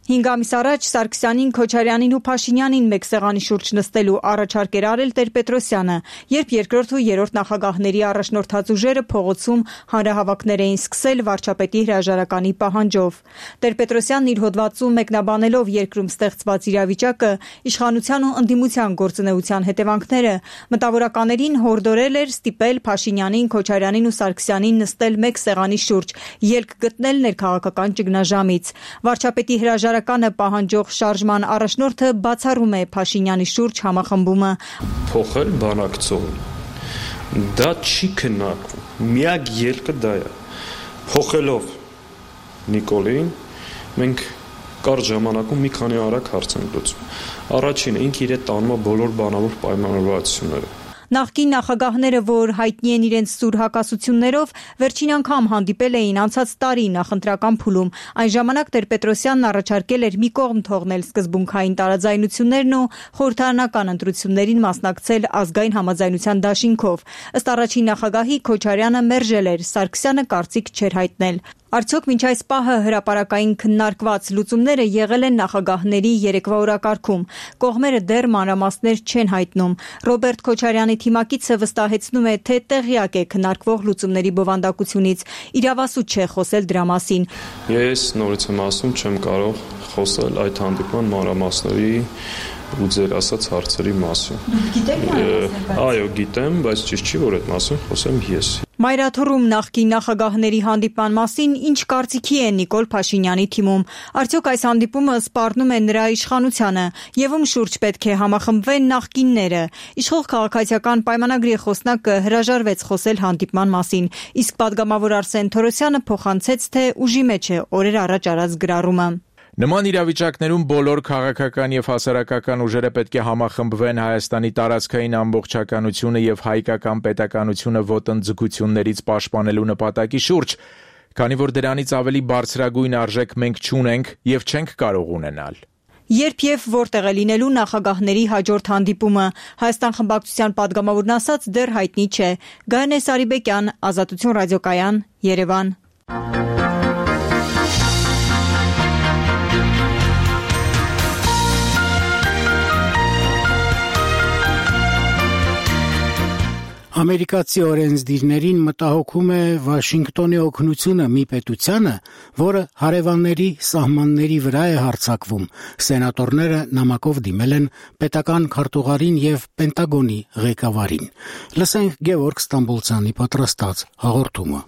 5 ամիս առաջ Սարգսյանին, Քոչարյանին ու Փաշինյանին մեկ սեղանի շուրջ նստելու առաջարկ էր արել Տեր-Պետրոսյանը, երբ երկրորդ ու երրորդ նախագահների առաջնորդած ուժերը փողոցում հանրահավաքներ էին սկսել վարչապետի հրաժարականի պահանջով։ Տեր-Պետրոսյանն իր հոդվածում մեկնաբանելով երկրում ստեղծված իրավիճակը, իշխանության ու ընդդիմության գործունեության հետևանքները, մտավորականներին հորդորել էր ստիպել Փաշինյանին, Քոչարյանին ու Սարգսյանին նստել մեկ սեղանի շուրջ, ելք գտնել ներքաղաքական ճգնաժամից։ Վարչապետի հրաժարականը պահանջող շարժման առաջնորդը բացառում է Փաշինյանի շուրջ համախմբումը։ Փոխել բանակցողին։ Դա չի քննարկվում։ Միակ ելքը դա է։ Փոխելով Նիկոլին մենք կարճ ժամանակում մի քանի արագ հարց ենք լուծում։ Առաջինը ինքը իր տանում է բոլոր բանավոր պայմանավորվածությունները։ Նախկին նախագահները, որ հայտնի են իրենց սուր հակասություններով, վերջին անգամ հանդիպել էին անցած տարի նախընտրական փուլում։ Այն ժամանակ Տեր-Պետրոսյանն առաջարկել էր մի կողմ թողնել սկզբունքային տարաձայնություններն ու խորհրդարանական ընտրություններին մասնակցել ազգային համաձայնության դաշինքով։ Ըստ առաջին նախագահի Քոչարյանը մերժել էր, Սարգսյանը կարծիք չէր հայտնել։ Արդյոք մինչ այս պահը հրապարակային քննարկված լուծումները եղել են նախագահների երեկվա օրակարգում։ Կողմերը դեռ մանրամասներ չեն հայտնում։ Ռոբերտ Քոչարյանի թիմակիցը վստահեցնում է, թե տեղյակ է քննարկվող լուծումների բովանդակությունից։ Իրավասու չէ խոսել դրա մասին։ Ես նորից եմ ասում, չեմ կարող խոսել այդ հանդիպման մանրամասների ու ձեր ասած հարցերի մասին։ Դուք գիտեք Այո, գիտեմ, բայց ճիշտ չի, որ այդ մասին խոսեմ ես։ Մայրաթոռում նախկին նախագահների հանդիպման մասին ինչ կարծիքի է Նիկոլ Փաշինյանի թիմում։ Արդյոք այս հանդիպումը սպառնում է նրա իշխանությանը, եւ ում շուրջ պետք է համախմբվեն նախկինները։ Իշխող քաղաքացիական պայմանագրի խոսնակը հրաժարվեց խոսել հանդիպման մասին, իսկ падգամավոր Արսեն Թորոսյանը փոխանցեց, թե ուժի մեջ է օրեր առաջ արած գրառումը։ Նման իրավիճակներում բոլոր քաղաքական եւ հասարակական ուժերը պետք է համախմբվեն Հայաստանի տարածքային ամբողջականությունը եւ հայկական պետականությունը ոտնձգություններից պաշտպանելու նպատակի շուրջ, քանի որ դրանից ավելի բարձրագույն արժեք մենք չունենք եւ չենք կարող ունենալ։ Երբ եւ որտեղ է լինելու նախագահների հաջորդ հանդիպումը, Հայաստան խմբակցության падգամավորն ասաց դեռ հայտնի չէ։ Գայանե Սարիբեկյան, Ազատություն ռադիոկայան, Երևան։ Ամերիկացի օրենսդիրներին մտահոգում է Վաշինգտոնի օգնությունը մի պետությանը, որը հարևանների սահմանների վրա է հարձակվում։ Սենատորները նամակով դիմել են պետական քարտուղարին եւ Պենտագոնի ղեկավարին։ Լսենք Գևորգ Ստամբոլցյանի պատրաստած հաղորդումը։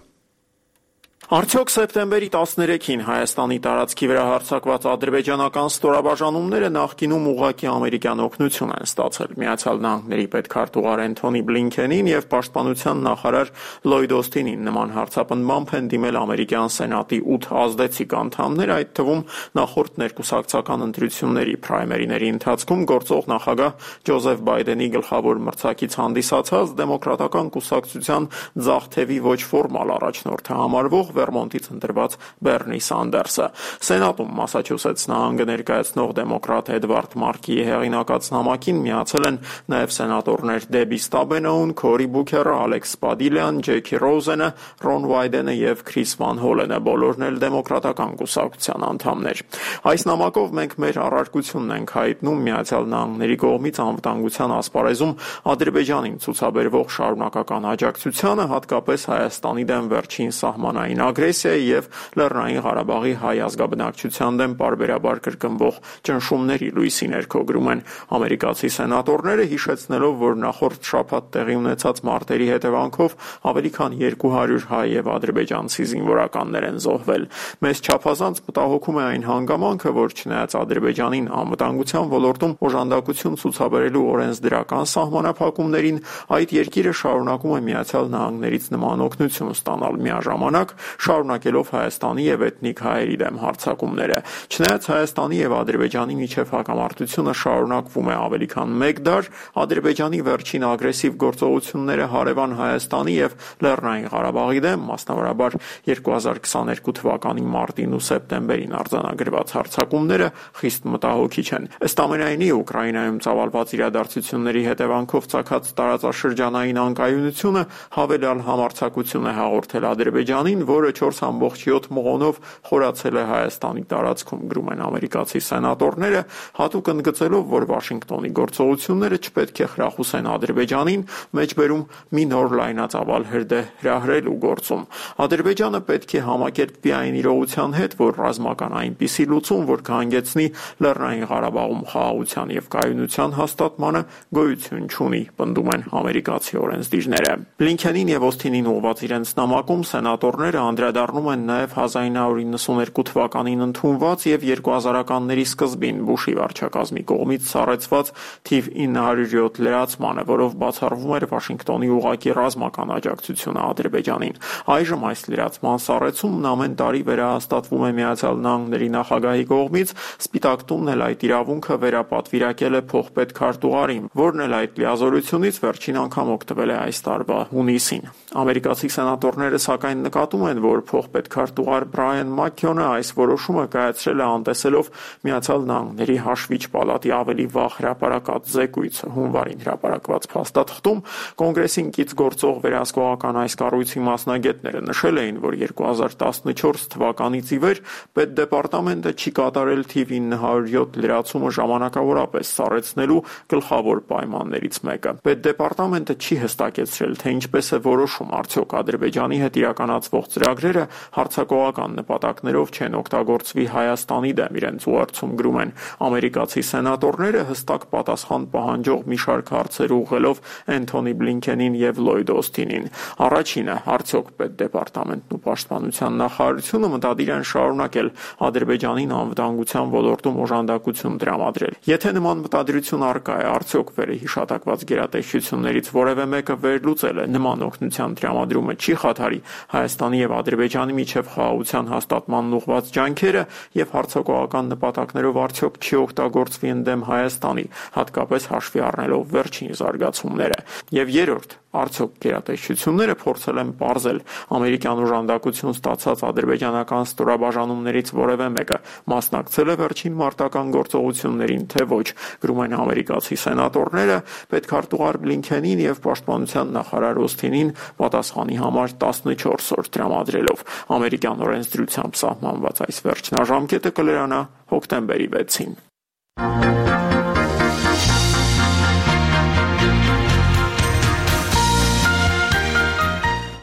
Արդյոք սեպտեմբերի 13-ին Հայաստանի տարածքի վրա հարձակված ադրբեջանական ստորաբաժանումները նախկինում ուղղակի ամերիկյան օգնություն են ստացել։ Միացյալ Նահանգների պետքարտուղար Էնթոնի Բլինքենին եւ պաշտպանության նախարար Լոյդ Օսթինին նման հարձապնդմամբ են դիմել ամերիկյան սենատի 8 ազդեցիկ անդամներ, այդ թվում նախորդ ներկուսակցական ընտրությունների պրայմերիների ընթացքում գործող նախագահ Ջոզեֆ Բայդենի գլխավոր մրցակից հանդիսացած դեմոկրատական կուսակցության ձախ թևի ոչ ֆորմալ առաջնորդը համարվող Վերմոնտից ընտրված Բերնի Սանդերսը։ Սենատում Մասաչուսեթս նահանգը ներկայացնող դեմոկրատ Էդվարդ Մարկիի հեղինակած նամակին միացել են նաև սենատորներ Դեբի Ստաբենոուն, Քորի Բուքերը, Ալեքս Սպադիլյան, Ջեքի Ռոզենը, Ռոն Վայդենը եւ Քրիս Վան Հոլենը, բոլորն էլ դեմոկրատական կուսակցության անդամներ։ Այս նամակով մենք մեր առարկությունն ենք հայտնում Միացյալ Նահանգների կողմից անվտանգության ասպարեզում Ադրբեջանին ցուցաբերվող շարունակական աջակցությանը, հատկապես Հայաստանի դեմ վերջին սահմանային ագրեսիայի եւ Լեռնային Ղարաբաղի հայ ազգաբնակչության դեմ պարբերաբար կրկնվող ճնշումների լույսի ներքո գրում են ամերիկացի սենատորները, հիշեցնելով, որ նախորդ շաբաթ տեղի ունեցած մարտերի հետևանքով ավելի քան 200 հայ եւ ադրբեջանցի զինվորականներ են զոհվել։ Մեզ չափազանց մտահոգում է այն հանգամանքը, որ չնայած Ադրբեջանին անվտանգության ոլորտում օժանդակություն ցուցաբերելու օրենսդրական սահմանափակումներին, այդ երկիրը շարունակում է Միացյալ Նահանգներից նման օգնություն ստանալ, միաժամանակ շարունակելով Հայաստանի եւ էթնիկ հայերի դեմ հարձակումները։ Չնայած Հայաստանի եւ Ադրբեջանի միջև հակամարտությունը շարունակվում է ավելի քան 1 դար, Ադրբեջանի վերջին ագրեսիվ գործողությունները հարևան Հայաստանի եւ Լեռնային Ղարաբաղի դեմ, մասնավորաբար 2022 թվականի մարտին ու սեպտեմբերին արձանագրված հարձակումները խիստ մտահոգիչ են։ Ըստ ամենայնի Ուկրաինայում ծավալված իրադարձությունների հետևանքով ծագած տարածաշրջանային անկայունությունը հավելյալ համարձակություն է հաղորդել Ադրբեջանին, որը 4.7 մղոնով խորացել է Հայաստանի տարածքում, գրում են ամերիկացի սենատորները, հատուկ ընդգծելով, որ Վաշինգտոնի գործողությունները չպետք է խրախուսեն Ադրբեջանին մեջբերում մի նոր լայնածավալ հրդեհ հրահրելու գործում։ Ադրբեջանը պետք է համակերպվի այն իրողության հետ, որ ռազմական այնպիսի լուծում, որ կհանգեցնի Լեռնային Ղարաբաղում խաղաղության եւ կայունության հաստատմանը, գոյություն չունի, պնդում են ամերիկացի օրենսդիրները։ Բլինքենին եւ Օսթինին ուղղված իրենց նամակում սենատորները անդրադառնում են նաև 1992 թվականին ընդունված եւ 2000-ականների սկզբին Բուշի վարչակազմի կողմից սառեցված թիվ 907 լրացմանը, որով բացառվում էր Վաշինգտոնի ուղղակի ռազմական աջակցությունը Ադրբեջանին։ Այժմ այս լրացման սառեցումն ամեն տարի վերահաստատվում է Միացյալ Նահանգների նախագահի կողմից, Սպիտակ տունն էլ այդ իրավունքը վերապատվիրակել է փոխպետ քարտուղարին, որն էլ այդ լիազորությունից վերջին անգամ օգտվել է այս տարվա հունիսին։ Ամերիկացի սենատորները սակայն նկատում են, որ փոխպետքարտուղար Բրայան Մաքքյոնը այս որոշումը կայացրել է անտեսելով Միացյալ Նահանգների հաշվիչ պալատի ավելի վաղ հրապարակած զեկույցը։ Հունվարին հրապարակված փաստաթղթում Կոնգրեսին կից գործող վերահսկողական այս կառույցի մասնագետները նշել էին, որ 2014 թվականից ի վեր Պետդեպարտամենտը չի կատարել թիվ 907 լրացումը ժամանակավորապես սառեցնելու գլխավոր պայմաններից մեկը։ Պետդեպարտամենտը չի հստակեցրել, թե ինչպես է որոշում արդյոք Ադրբեջանի հետ իրականացվող ծրագրերը հարձակողական նպատակներով չեն օգտագործվի Հայաստանի դեմ, իրենց ուղերձում գրում են ամերիկացի սենատորները հստակ պատասխան պահանջող մի շարք հարցեր ուղղելով Էնթոնի Բլինքենին եւ Լլոյդ Օսթինին։ Առաջինը, արդյոք Պետդեպարտամենտն ու Պաշտպանության նախարարությունը մտադիր են շարունակել Ադրբեջանին անվտանգության ոլորտում օժանդակություն տրամադրել։ Եթե նման մտադրություն առկա է, արդյոք վերահիշատակված գերատեսչություններից որևէ մեկը վերլուծել է նման օգնության տրամադրումը չի խաթարի Հայաստանի եւ Ադրբեջանի միջև խաղաղության հաստատման ուղղված ջանքերը եւ հարձակողական նպատակներով արդյոք չի օգտագործվի ընդդեմ Հայաստանի, հատկապես հաշվի առնելով վերջին զարգացումները։ Եվ երրորդ, արդյոք գերատեսչությունները փորձել են պարզել ամերիկյան օժանդակություն ստացած ադրբեջանական ստորաբաժանումներից որևէ մեկը մասնակցել է վերջին մարտական գործողություններին, թե ոչ, գրում են ամերիկացի սենատորները, պետքարտուղար Բլինքենին եւ պաշտպանության նախարար Օսթինին պատասխանի համար 14 օր տրամադրելով։ Ամերիկյան օրենսդրությամբ սահմանված այս վերջնաժամկետը կլրանա հոկտեմբերի 6-ին։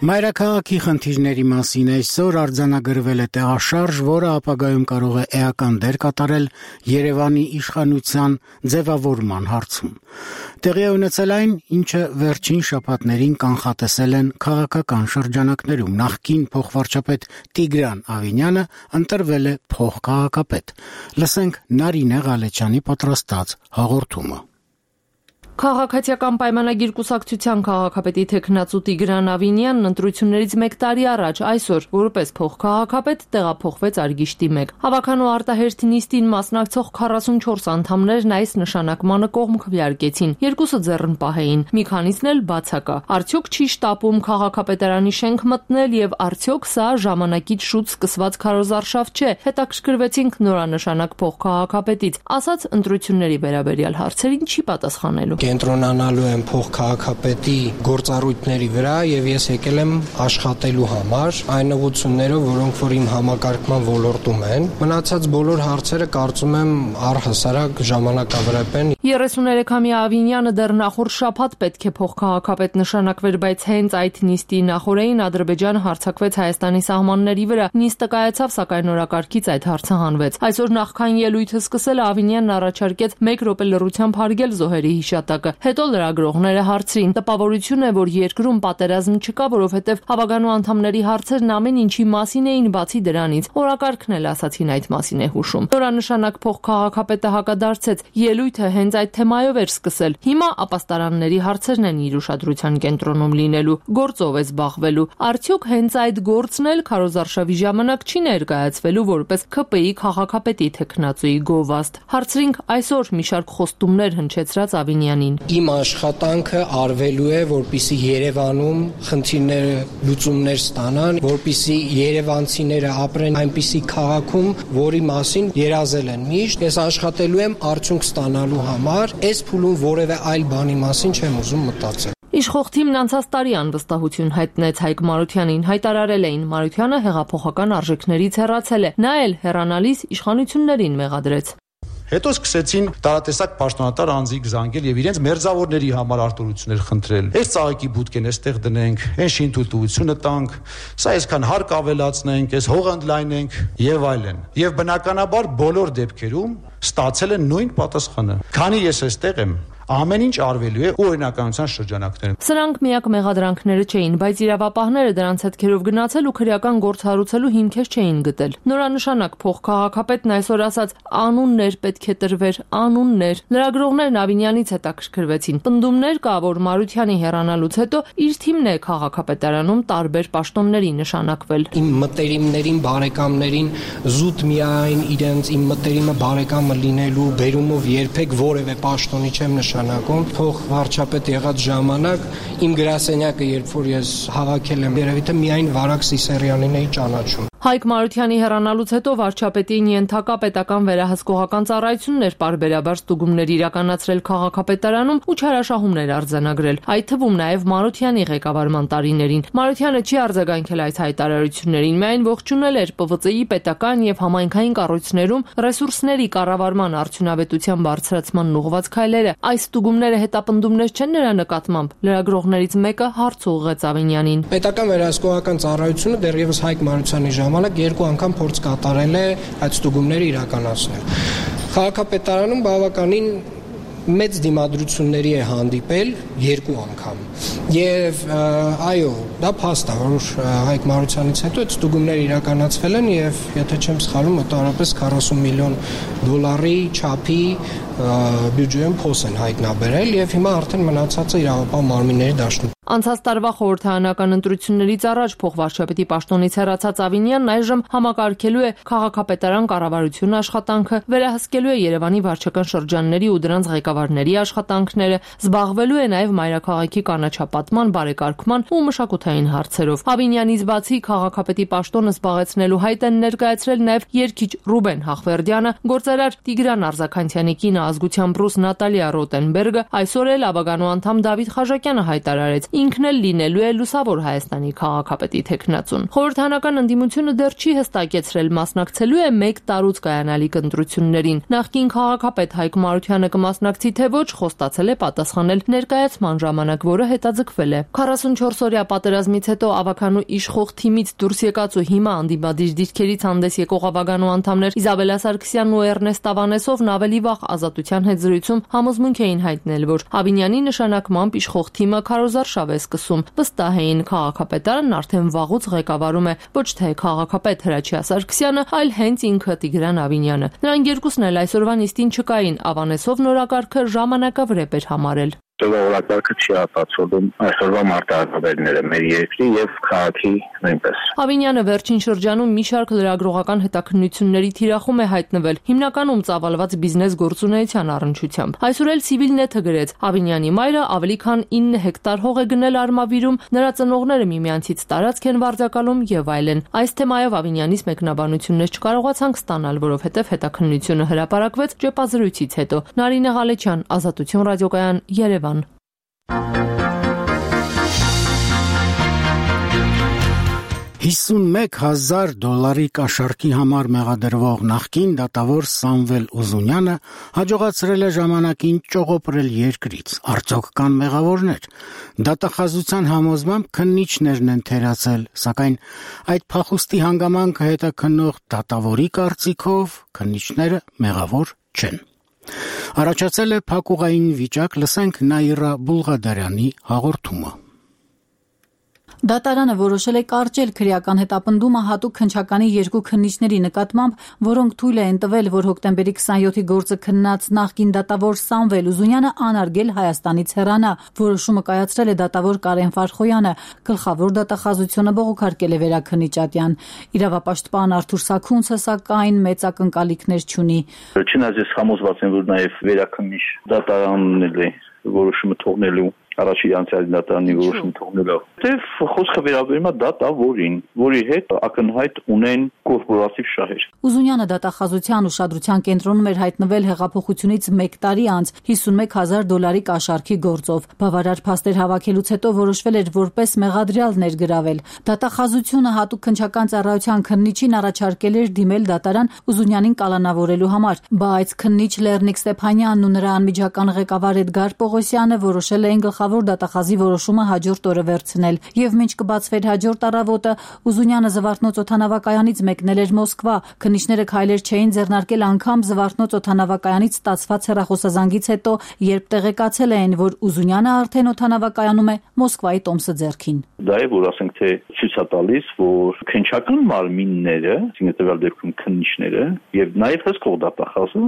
Մայրաքաղաքի խնդիրների մասին այսօր արձանագրվել է տեղաշարժ, որը ապագայում կարող է էական դեր կատարել Երևանի իշխանության ձևավորման հարցում։ Տեղի է ունեցել այն, ինչը վերջին շաբաթներին կանխատեսել են քաղաքական շրջանակներում։ Նախկին փոխվարչապետ Տիգրան Ավինյանը ընտրվել է փոխքաղաքապետ։ Լսենք Նարինե Ղալեչյանի պատրաստած հաղորդումը։ Քաղաքացիական պայմանագիր կուսակցության քաղաքապետի թեկնածու Տիգրան Ավինյանն ընտրություններից 1 տարի առաջ այսօր որպես փոխքաղաքապետ տեղափոխվեց Արգիշտի 1։ Հավաքանու արտահերթ նիստին մասնակցող 44 անդամներն այս նշանակմանը կողմ քվեարկեցին, երկուսը ձեռնպահ էին, մի քանիսն էլ բացակա։ Արդյոք չի շտապում քաղաքապետարանի շենք մտնել եւ արդյոք սա ժամանակից շուտ սկսված քարոզարշավ չէ։ Հետաքրքրվեցինք նորանշանակ փոխքաղաքապետից, ասաց ընտրությունների վերաբերյալ հարցերին չի պատասխանելու։ Կենտրոնանալու եմ փոխքաղաքապետի գործառույթների վրա եւ ես եկել եմ աշխատելու համար այն ուղղություններով, որոնք որ իմ համակարգման ոլորտում են։ Մնացած բոլոր հարցերը կարծում եմ առհասարակ ժամանակավրեպ են։ 33-ամյա Ավինյանը դեռ նախորդ շաբաթ պետք է փոխքաղաքապետ նշանակվեր, բայց հենց այդ նիստի նախօրեին Ադրբեջանը հարձակվեց Հայաստանի սահմանների վրա։ Նիստը կայացավ, սակայն օրակարգից այդ հարցը հանվեց։ Այսօր նախքան ելույթը սկսել Ավինյանն առաջարկեց 1 րոպե լռությամբ հարգել զոհերի հիշատակը։ Հետո լրագրողները հարցրին. տպավորություն է, որ երկրում պատերազմ չկա, որովհետև հավաքանու անդամների հարցերն ամեն ինչի մասին էին բացի դրանից։ Օրակարգն էլ ասացին այդ մասին է հուշում։ Նորանշանակ փոխքաղաքապետը հակադարձեց. ելույթը հենց այդ թեմայով էր սկսել։ Հիմա ապաստարանների հարցերն են իր ուշադրության կենտրոնում լինելու, գործով է զբաղվելու։ Արդյոք հենց այդ գործն էլ քարոզարշավի ժամանակ չի ներկայացվելու որպես ՔՊ-ի քաղաքապետի թեկնածուի գովաստ։ Հարցրինք այսօր մի շարք խոստումներ հնչեցրած Ավինյանին։ Իմ աշխատանքը արվելու է, որպիսի Երևանում խնդիրները լուծումներ ստանան, որպիսի երևանցիները ապրեն այնպիսի քաղաքում, որի մասին երազել են միշտ։ Ես աշխատելու եմ արդյունք ստանալու համար, այս փուլում որևէ այլ բանի մասին չեմ ուզում մտածել։ Իշխող թիմն անցած տարի անվստահություն հայտնեց Հայկ Մարությանին, հայտարարել էին Մարությանը հեղափոխական արժեքներից հեռացել է, նա էլ հեռանալիս իշխանություններին մեղադրեց։ Հետո սկսեցին տարատեսակ պաշտոնատար անձիկ զանգել եւ իրենց մերձավորների համար արտոնություններ խնդրել։ Այս ծաղիկի բուտկեն էստեղ դնենք, այն շինթույլտվությունը տանք, սա այսքան հարկ ավելացնենք, այս հող ընդլայնենք եւ այլն։ Եվ բնականաբար բոլոր դեպքերում ստացել են նույն պատասխանը։ Քանի ես այստեղ եմ, ամեն ինչ արվելու է օրինականության շրջանակներում։ Սրանք միակ մեղադրանքները չէին, բայց իրավապահները դրանց հետքերով գնացել ու քրեական գործ հարուցելու հիմքեր չէին գտել։ Նորանշանակ փոխքաղաքապետն այսօր ասաց անուններ պետք է տրվեր, անուններ։ Լրագրողներն Ավինյանից հետաքրքրվեցին։ Պնդումներ կա, որ Մարությանի հեռանալուց հետո իր թիմն է քաղաքապետարանում տարբեր պաշտոնների նշանակվել։ Իմ մտերիմներին, բարեկամներին զուտ միայն իրենց իմ մտերիմը բարեկամը լինելու բերումով երբեք որևէ պաշտոնի չեմ փոխվարչապետ եղած ժամանակ իմ գրասենյակը, երբ որ ես հավաքել եմ, երևի թե միայն Վարակ Սիսերյանին էի ճանաչում։ Հայկ Մարությանի հեռանալուց հետո վարչապետին ենթակա պետական վերահսկողական ծառայություններ պարբերաբար ստուգումներ իրականացրել քաղաքապետարանում ու չարաշահումներ արձանագրել, այդ թվում նաև Մարությանի ղեկավարման տարիներին։ Մարությանը չի արձագանքել այս հայտարարություններին, միայն ողջունել էր ՊՎԾ-ի պետական եւ համայնքային կառույցներում ռեսուրսների կառավարման արդյունավետության բարձրացման ուղղված քայլերը։ Այս ստուգումները հետապնդումներ չեն նրա նկատմամբ։ Լրագրողներից մեկը հարց ուղղեց Ավինյանին։ Պետական վերահսկողական ծառայությունը դեռևս Հայկ Մարությանի ժամանակ 2 անգամ փորձ կատարել է այդ ստուգումները իրականացնել։ Քաղաքապետարանում բավականին մեծ դիմադրությունների է հանդիպել 2 անգամ։ Եվ այո, դա փաստ է, որ Հայկ Մարությանից հետո այդ ստուգումները իրականացվել են եւ եթե չեմ սխալվում, մոտավորապես 40 միլիոն դոլարի չափի բյուջեում փոս են հայտնաբերել եւ հիմա արդեն մնացածը իրավապահ մարմինների դաշտում։ Անցած տարվա խորհրդարանական ընտրություններից առաջ փոխվարչապետի պաշտոնից հեռացած Ավինյանն այժմ համակարգելու է քաղաքապետարան կառավարություն աշխատանքը, վերահսկելու է Երևանի վարչական շրջանների ու դրանց ղեկավարների աշխատանքները, զբաղվելու է նաև մայրաքաղաքի կանաչապատման, բարեկարգման ու մշակութային հարցերով։ Ավինյանից բացի քաղաքապետի պաշտոնը զբաղեցնելու հայտ են ներկայացրել նաև երգիչ Ռուբեն Հախվերդյանը, գործարար Տիգրան Արզականցյանի կինը ազգությամբ ռուս Նատալիա Ռոտենբերգը, այսօր էլ Աբագանու անդամ Դավիթ Խաժակյանը հայտարարեց, ինքն էլ լինելու է լուսավոր Հայաստանի քաղաքապետի թեկնածուն։ Խորհրդարանական ընդդիմությունը դեռ չի հստակեցրել մասնակցելու է 1 տարուց կայանալիք ընտրություններին։ Նախկին քաղաքապետ Հայկ Մարությանը կմասնակցի թե ոչ, խոստացել է պատասխանել ներկայացման ժամանակ, որը հետաձգվել է։ 44-օրյա պատերազմից հետո Աբաքանու իշխող թիմից դուրս եկած ու հիմա անդիմադիր դիրքերից հանդես եկող Աբագանու անդամներ Իզաբելա Սարգսյանն ու Էրնեստ Ավանեսովն ավելի վաղ Ազատության հետ զրույցում համոզմունք էին հայտնել, որ Ավինյանի նշանակմամբ իշխող թիմը քարոզարշավ է սկսում։ Վստահ էին քաղաքապետարանն արդեն վաղուց ղեկավարում է ոչ թե քաղաքապետ Հրաչյա Սարգսյանը, այլ հենց ինքը Տիգրան Ավինյանը։ Նրանք երկուսն էլ այսօրվա նիստին չկային, Ավանեսովն օրակարգը ժամանակավրեպ էր համարել։ Օրակարգը չի ապացուցում այսօրվա մարտահրավերները մեր երկրի եւ քաղաքի նույնպես։ Ավինյանը վերջին շրջանում մի շարք լրագրողական հետաքննությունների թիրախում է հայտնվել, հիմնականում ծավալված բիզնես գործունեության առնչությամբ։ Այսօր էլ Civilnet-ը գրեց, Ավինյանի մայրը ավելի քան 9 հեկտար հող է գնել Արմավիրում, նրա ծնողները միմյանցից տարածք են վարձակալում եւ այլն։ Այս թեմայով Ավինյանից մեկնաբանություններ չկարողացանք ստանալ, որովհետեւ հետաքննությունը հրապարակվեց ճեպազրույցից հետո։ Նարինե Ղալեչյան, Ազատություն ռադիոկայան, Երևան։ 51,000 դոլարի կաշառքի համար մեղադրվող նախկին դատավոր Սամվել Ուզունյանը հաջողացրել է ժամանակին ճողոպրել երկրից։ Արդյոք կան մեղավորներ։ Դատախազության համոզմամբ քննիչներն են թերացել, սակայն այդ փախուստի հանգամանքը հետաքննող դատավորի կարծիքով քննիչները մեղավոր չեն։ Առաջացել է փակուղային վիճակ, լսենք Նաիրա Բուլղադարյանի հաղորդումը։ Դատարանը որոշել է կարճել քրեական հետապնդումը հատուկ քննչականի 2 քննիչների նկատմամբ, որոնք թույլ են տվել, որ հոկտեմբերի 27-ի գործը քննած նախկին դատավոր Սամվել Ուզունյանը անարգել Հայաստանից հեռանա։ Որոշումը կայացրել է դատավոր Կարեն Ֆարխոյանը, գլխավոր դատախազությունը բողոքարկել է վերաքննիչ Ատյան։ Իրավապաշտպան Արթուր Սաքունցը սակայն մեծ ակնկալիքներ չունի։ Չնայած համոզված եմ, որ նաև վերաքննիչ դատարանն է որոշումը թողնելու առաջի անցյալի դատարանի որոշում թողնելով։ Դեվ խոսքը վերաբերում է դատավորին, որի հետ ակնհայտ ունեն կորպորատիվ շահեր։ Ուզունյանը դատախազության ուշադրության կենտրոնում էր հայտնվել հեղափոխությունից 1 տարի անց 51,000 դոլարի կաշառքի գործով։ Բավարար փաստեր հավաքելուց հետո որոշվել էր որպես մեղադրյալ ներգրավել։ Դատախազությունը հատուկ քննչական ծառայության քննիչին առաջարկել էր դիմել դատարան Ուզունյանին կալանավորելու համար, բայց քննիչ Լեռնիկ Ստեփանյանն ու նրա անմիջական ղեկավար Էդգար Պողոսյանը որոշել էին գլխավոր դատախազի որոշումը հաջորդ օրը վերցնել, եւ մինչ կբացվեր հաջորդ առավոտը Ուզունյանը Զվարթնոց օդանավակայանից մեկնել էր Մոսկվա։ Քննիչները քայլեր չէին ձեռնարկել անգամ Զվարթնոց օդանավակայանից ստացված հեռախոսազանգից հետո, երբ տեղեկացել էին, որ Ուզունյանը արդեն օդանավակայանում է Մոսկվայի տոմսը ձեռքին։ Դա է, որ ասենք թե ցույց է տալիս, որ քննչական մարմինները, այսինքն տվյալ դեպքում քննիչները եւ նաեւ հսկող դատախազը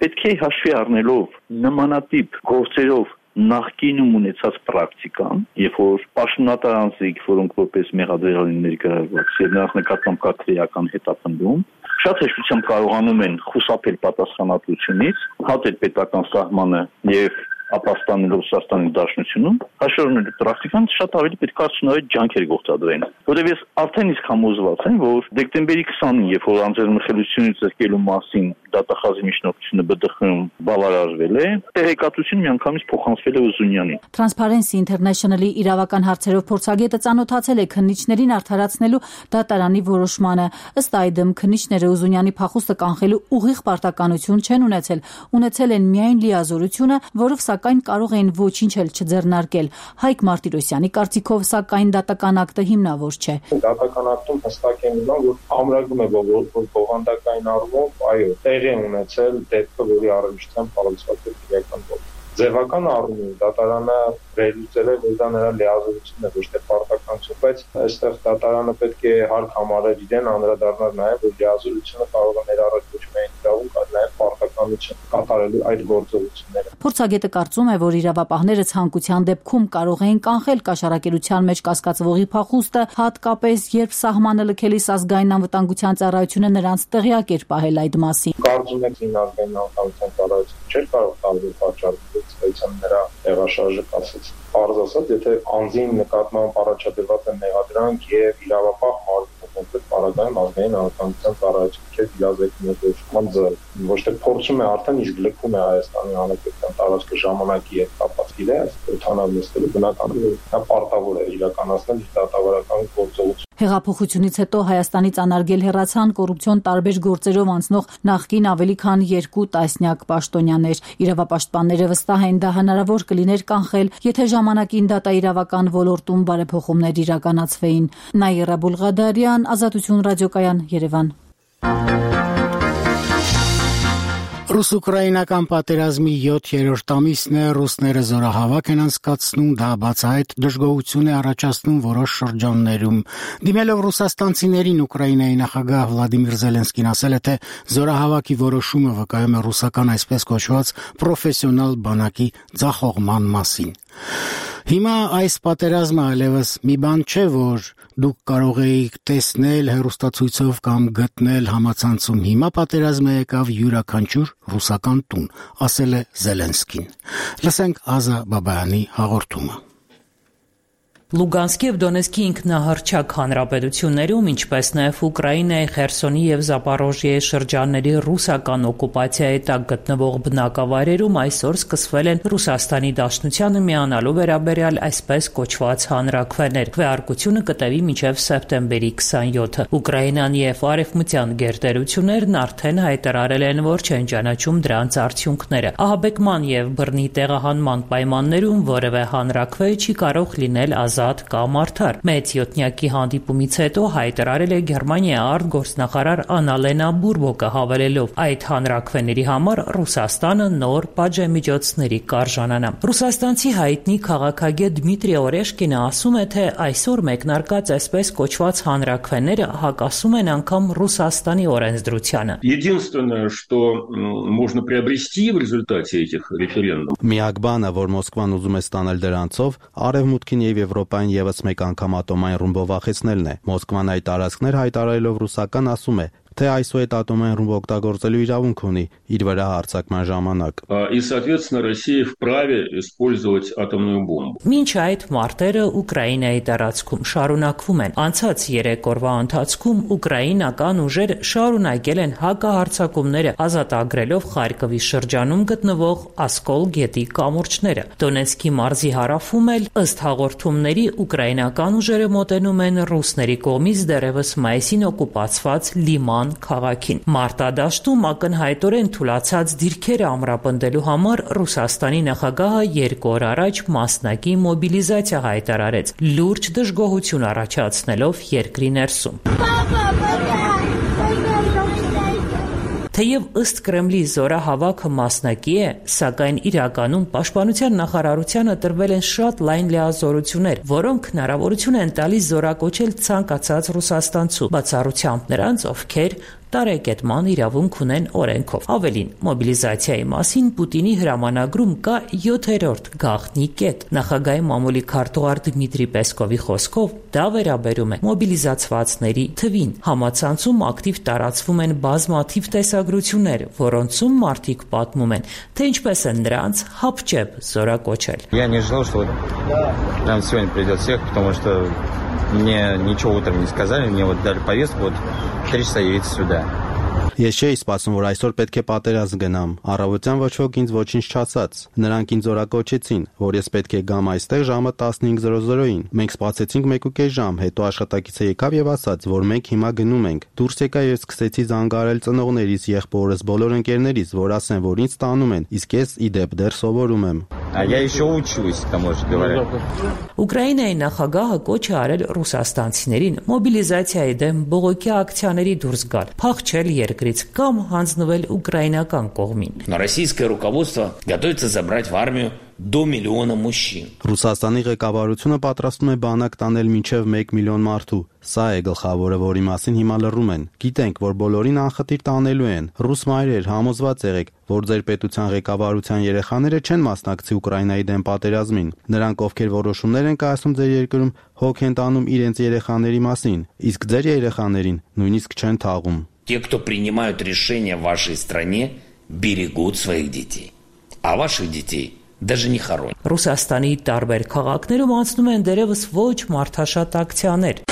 պետք է հաշվի առնելով նմանատիպ գործերով նախկինում ունեցած պրակտիկան, երբ որ պաշտոնատար անձիկ, որոնք որպես մեղադրյալ են ներգրավված, եւ նրանց նկատմամբ կա քրեական հետապնդում, շատ հեշտությամբ կարողանում են խուսափել պատասխանատվությունից, հատել պետական սահմանը եւ ապաստանելով Ռուսաստանի Դաշնությունում, հաշվառնելու պրակտիկան շատ ավելի պետք է արդյունավետ ջանքեր գործադրեն։ Որտեղ ես արդեն իսկ համոզված եմ, որ դեկտեմբերի 20-ին, երբ որ անձեռնխելությունից զրկելու մասին դատախազի միջնորդությունը ԲԴԽ-ում բավարարվել է, տեղեկատվությունը միանգամից փոխանցվել է Ուզունյանին։ Transparency International-ի իրավական հարցերով փորձագետը ծանոթացել է քննիչներին արդարացնելու դատարանի որոշմանը։ Ըստ այդմ քննիչները Ուզունյանի փախուստը կանխելու ուղիղ պարտականություն չեն ունեցել են միայն լիազորությունը, որով սակայն կարող էին ոչինչ էլ չձեռնարկել։ Հայկ Մարտիրոսյանի կարծիքով, սակայն դատական ակտը հիմնավոր չէ։ Դատական ակտում հստակ է մնում, որ ամրագրում է, որ բովանդակային առումով, այո, տեղի ունեցել դեպքը, որի առնչությամբ կառուցված է քրեական գործ։ Ձևական առումով դատարանը վերլուծել է, որ դա նրա լիազորությունն է, ոչ թե պարտականություն, բայց այստեղ դատարանը պետք է հարկ համարել իրեն, անդրադառնալ նաև, որ լիազորությունը կարող է ներառել ոչ միայն իրավունք, այլ նաև պարտականություն կատարելու այդ գործողությունները։ Փորձագետը կարծում է, որ իրավապահները ցանկության դեպքում կարող էին կանխել կաշառակերության մեջ կասկածվողի փախուստը, հատկապես երբ սահմանը լքելիս ազգային անվտանգության ծառայությունը նրանց տեղյակ էր պահել այդ մասին։ Կարծում եք ազգային անվտանգության ծառայությունը չէր կարող տարբեր պատճառներից այցան նրա տեղաշարժը կասեց։ Պարզ ասած, եթե անձին նկատմամբ առաջադրված է մեղադրանք եւ իրավապահ մարմինը կոնկրետ параգրաֆում ազգային անվտանգության ծառայությունը չէ դիազեկնական ձև, ոչ թե փորձում է արդեն իսկ լքում է Հայաստանի Հանրապետության տարածքը ժամանակի հետ կապված իրե, օթանավ նստելու բնականաբար նա պարտավոր է իրականացնել իր դատավարական գործողությունը։ Հեղափոխությունից հետո Հայաստանից անարգել հեռացան կոռուպցիոն տարբեր գործերով անցնող նախկին ավելի քան 2 տասնյակ պաշտոնյաներ։ Իրավապաշտպանները վստահ են, դա հնարավոր կլիներ կանխել, եթե ժամանակին դատաիրավական ոլորտում բարեփոխումներ իրականացվեին։ Նաիրա Բուլղադարյան, Ազատություն ռադիոկայան, Երևան։ Ռուս-ուկրաինական պատերազմի 7-րդ ամիսն է, ռուսները զորահավաք են անցկացնում, դա բացահայտ դժգոհություն է առաջացնում որոշ շրջաններում։ Դիմելով ռուսաստանցիներին, Ուկրաինայի նախագահ Վլադիմիր Զելենսկին ասել է, թե զորահավաքի որոշումը վկայում է ռուսական այսպես կոչված պրոֆեսիոնալ բանակի ձախողման մասին։ Հիմա այս պատերազմը այլևս մի բան չէ, որ դուք կարող էիք տեսնել հեռուստացույցով կամ գտնել համացանցում։ Հիմա պատերազմը եկավ յուրաքանչյուր ռուսական տուն, ասել է Զելենսկին։ Լսենք Ազա Բաբայանի հաղորդումը։ Լուգանսկի եւ Դոնեցկի ինքնահռչակ հանրապետություններում, ինչպես նաեւ Ուկրաինայի Խերսոնի եւ Զապորոժիեի շրջանների ռուսական օկուպացիայի տակ գտնվող բնակավայրերում այսօր սկսվել են Ռուսաստանի Դաշնությանը միանալու վերաբերյալ այսպես կոչված հանրաքվեներ։ Քվեարկությունը կտևի մինչև սեպտեմբերի 27-ը։ Ուկրաինան եւ արևմտյան գերտերություններն արդեն հայտարարել են, որ չեն ճանաչում դրանց արդյունքները։ Ահաբեկման եւ բռնի տեղահանման պայմաններում որևէ հանրաքվե չի կարող լինել ազատ կամ արդար։ Մեծ յոթնյակի հանդիպումից հետո հայտարարել է Գերմանիայի արտգործնախարար Անալենա Բուրբոկը, հավելելով այդ հանրաքվեների համար Ռուսաստանը նոր պատժամիջոցների կարժանանա։ Ռուսաստանցի հայտնի քաղաքագետ Դմիտրի Օրեշկինը ասում է, թե այսօր մեկնարկած այսպես կոչված հանրաքվեները հակասում են անգամ Ռուսաստանի օրենսդրությանը։ Единственное, что можно приобрести в результате этих референдумов. Միակ բանը, որ Մոսկվան ուզում է ստանալ դրանցով, Արևմուտքին եւ Եվրոպային եւս մեկ անգամ ատոմային ռումբով վախեցնելն է։ Մոսկվան այդ տարածքներ հայտարարելով ռուսական ասում է, թե այսօր ատոմային ռումբ օգտագործելու իրավունք ունի իր վրա հարձակման ժամանակ։ И, соответственно, Россия вправе использовать атомную бомбу. Մինչ այդ մարտերը Ուկրաինայի տարածքում շարունակվում են։ Անցած 3 օրվա ընթացքում ուկրաինական ուժերը շարունակել են հակահարձակումները, ազատագրելով Խարկովի շրջանում գտնվող Ասկոլ գետի կամուրջները։ Դոնեցկի մարզի հարավում էլ ըստ հաղորդումների ուկրաինական ուժերը մոտենում են ռուսների կողմից դեռևս մայիսին օկուպացված Լիման քաղաքին։ Մարտադաշտում ակնհայտորեն թուլացած դիրքերը ամրապնդելու համար Ռուսաստանի նախագահը 2 օր առաջ մասնակի մոբիլիզացիա հայտարարեց, լուրջ դժգոհություն առաջացնելով երկրի ներսում։ Թեև ըստ Կրեմլի զորահավաքը մասնակի է, սակայն իրականում պաշտպանության նախարարությանը տրվել են շատ լայն լիազորություններ, որոնք հնարավորություն են տալիս զորակոչել ցանկացած ռուսաստանցու, բացառությամբ նրանց, ովքեր տարեկետման իրավունք ունեն օրենքով։ Ավելին, մոբիլիզացիայի մասին Պուտինի հրամանագրում կա 7-րդ գաղտնի կետ։ Նախագահի մամուլի քարտուղար Դմիտրի Պեսկովի խոսքով դա վերաբերում է մոբիլիզացվածների թվին։ Համացանցում ակտիվ տարածվում են բազմաթիվ տեսագրություններ, որոնցում մարդիկ պատմում են, թե ինչպես են նրանց հապճեպ զորակոչել։ Я не ожидал, что прямо сегодня придет всех, потому что мне ничего утром не сказали, мне вот дали повестку, вот 3 часа явиться сюда. Ես չէի սպասում, որ այսօր պետք է պատերազմ գնամ։ Առավոտյան ոչ ոք ինձ ոչինչ չասաց։ Նրանք ինձ օրակոչեցին, որ ես պետք է գամ այստեղ ժամը 15:00-ին։ Մենք սպասեցինք 1.5 ժամ, հետո աշխատակիցը եկավ եւ ասաց, որ մենք հիմա գնում ենք։ Դուրս եկա եւ սկսեցի զանգարել ծնողներիս, եղբորս, բոլոր ընկերներիս, որ ասեն, որ ինձ տանում են, իսկ ես ի դեպ դեռ սովորում եմ։ Ուկրաինայի նախագահը կոչ է արել ռուսաստանցիներին մոբիլիզացիայի դեմ բողոքի ակցիաների դուրս գալ, փախչել երկրից կամ հանձնվել ուկրաինական կողմին։ Российское руководство готовится забрать в армию до 1 миллиона мужчин. Ռուսաստանի ղեկավարությունը պատրաստվում է բանակ տանել մինչև 1 միլիոն մարդու։ Սա է գլխավորը, որի մասին հիմա լռում են։ Գիտենք, որ բոլորին անխտիր տանելու են։ Ռուս մայրեր, համոզված եղեք, որ ձեր պետության ղեկավարության երեխաները չեն մասնակցի Ուկրաինայի դեմ պատերազմին։ Նրանք, ովքեր որոշումներ են կայացնում ձեր երկրում, հոգ են տանում իրենց երեխաների մասին, իսկ ձեր երեխաներին նույնիսկ չեն թաղում։ Те, кто принимают решения в вашей стране, берегут своих детей, а ваших детей даже не хоронят. Ռուսաստանի տարբեր քաղաքներում անցնում են դերևս ոչ մարդաշատ ակցիաներ։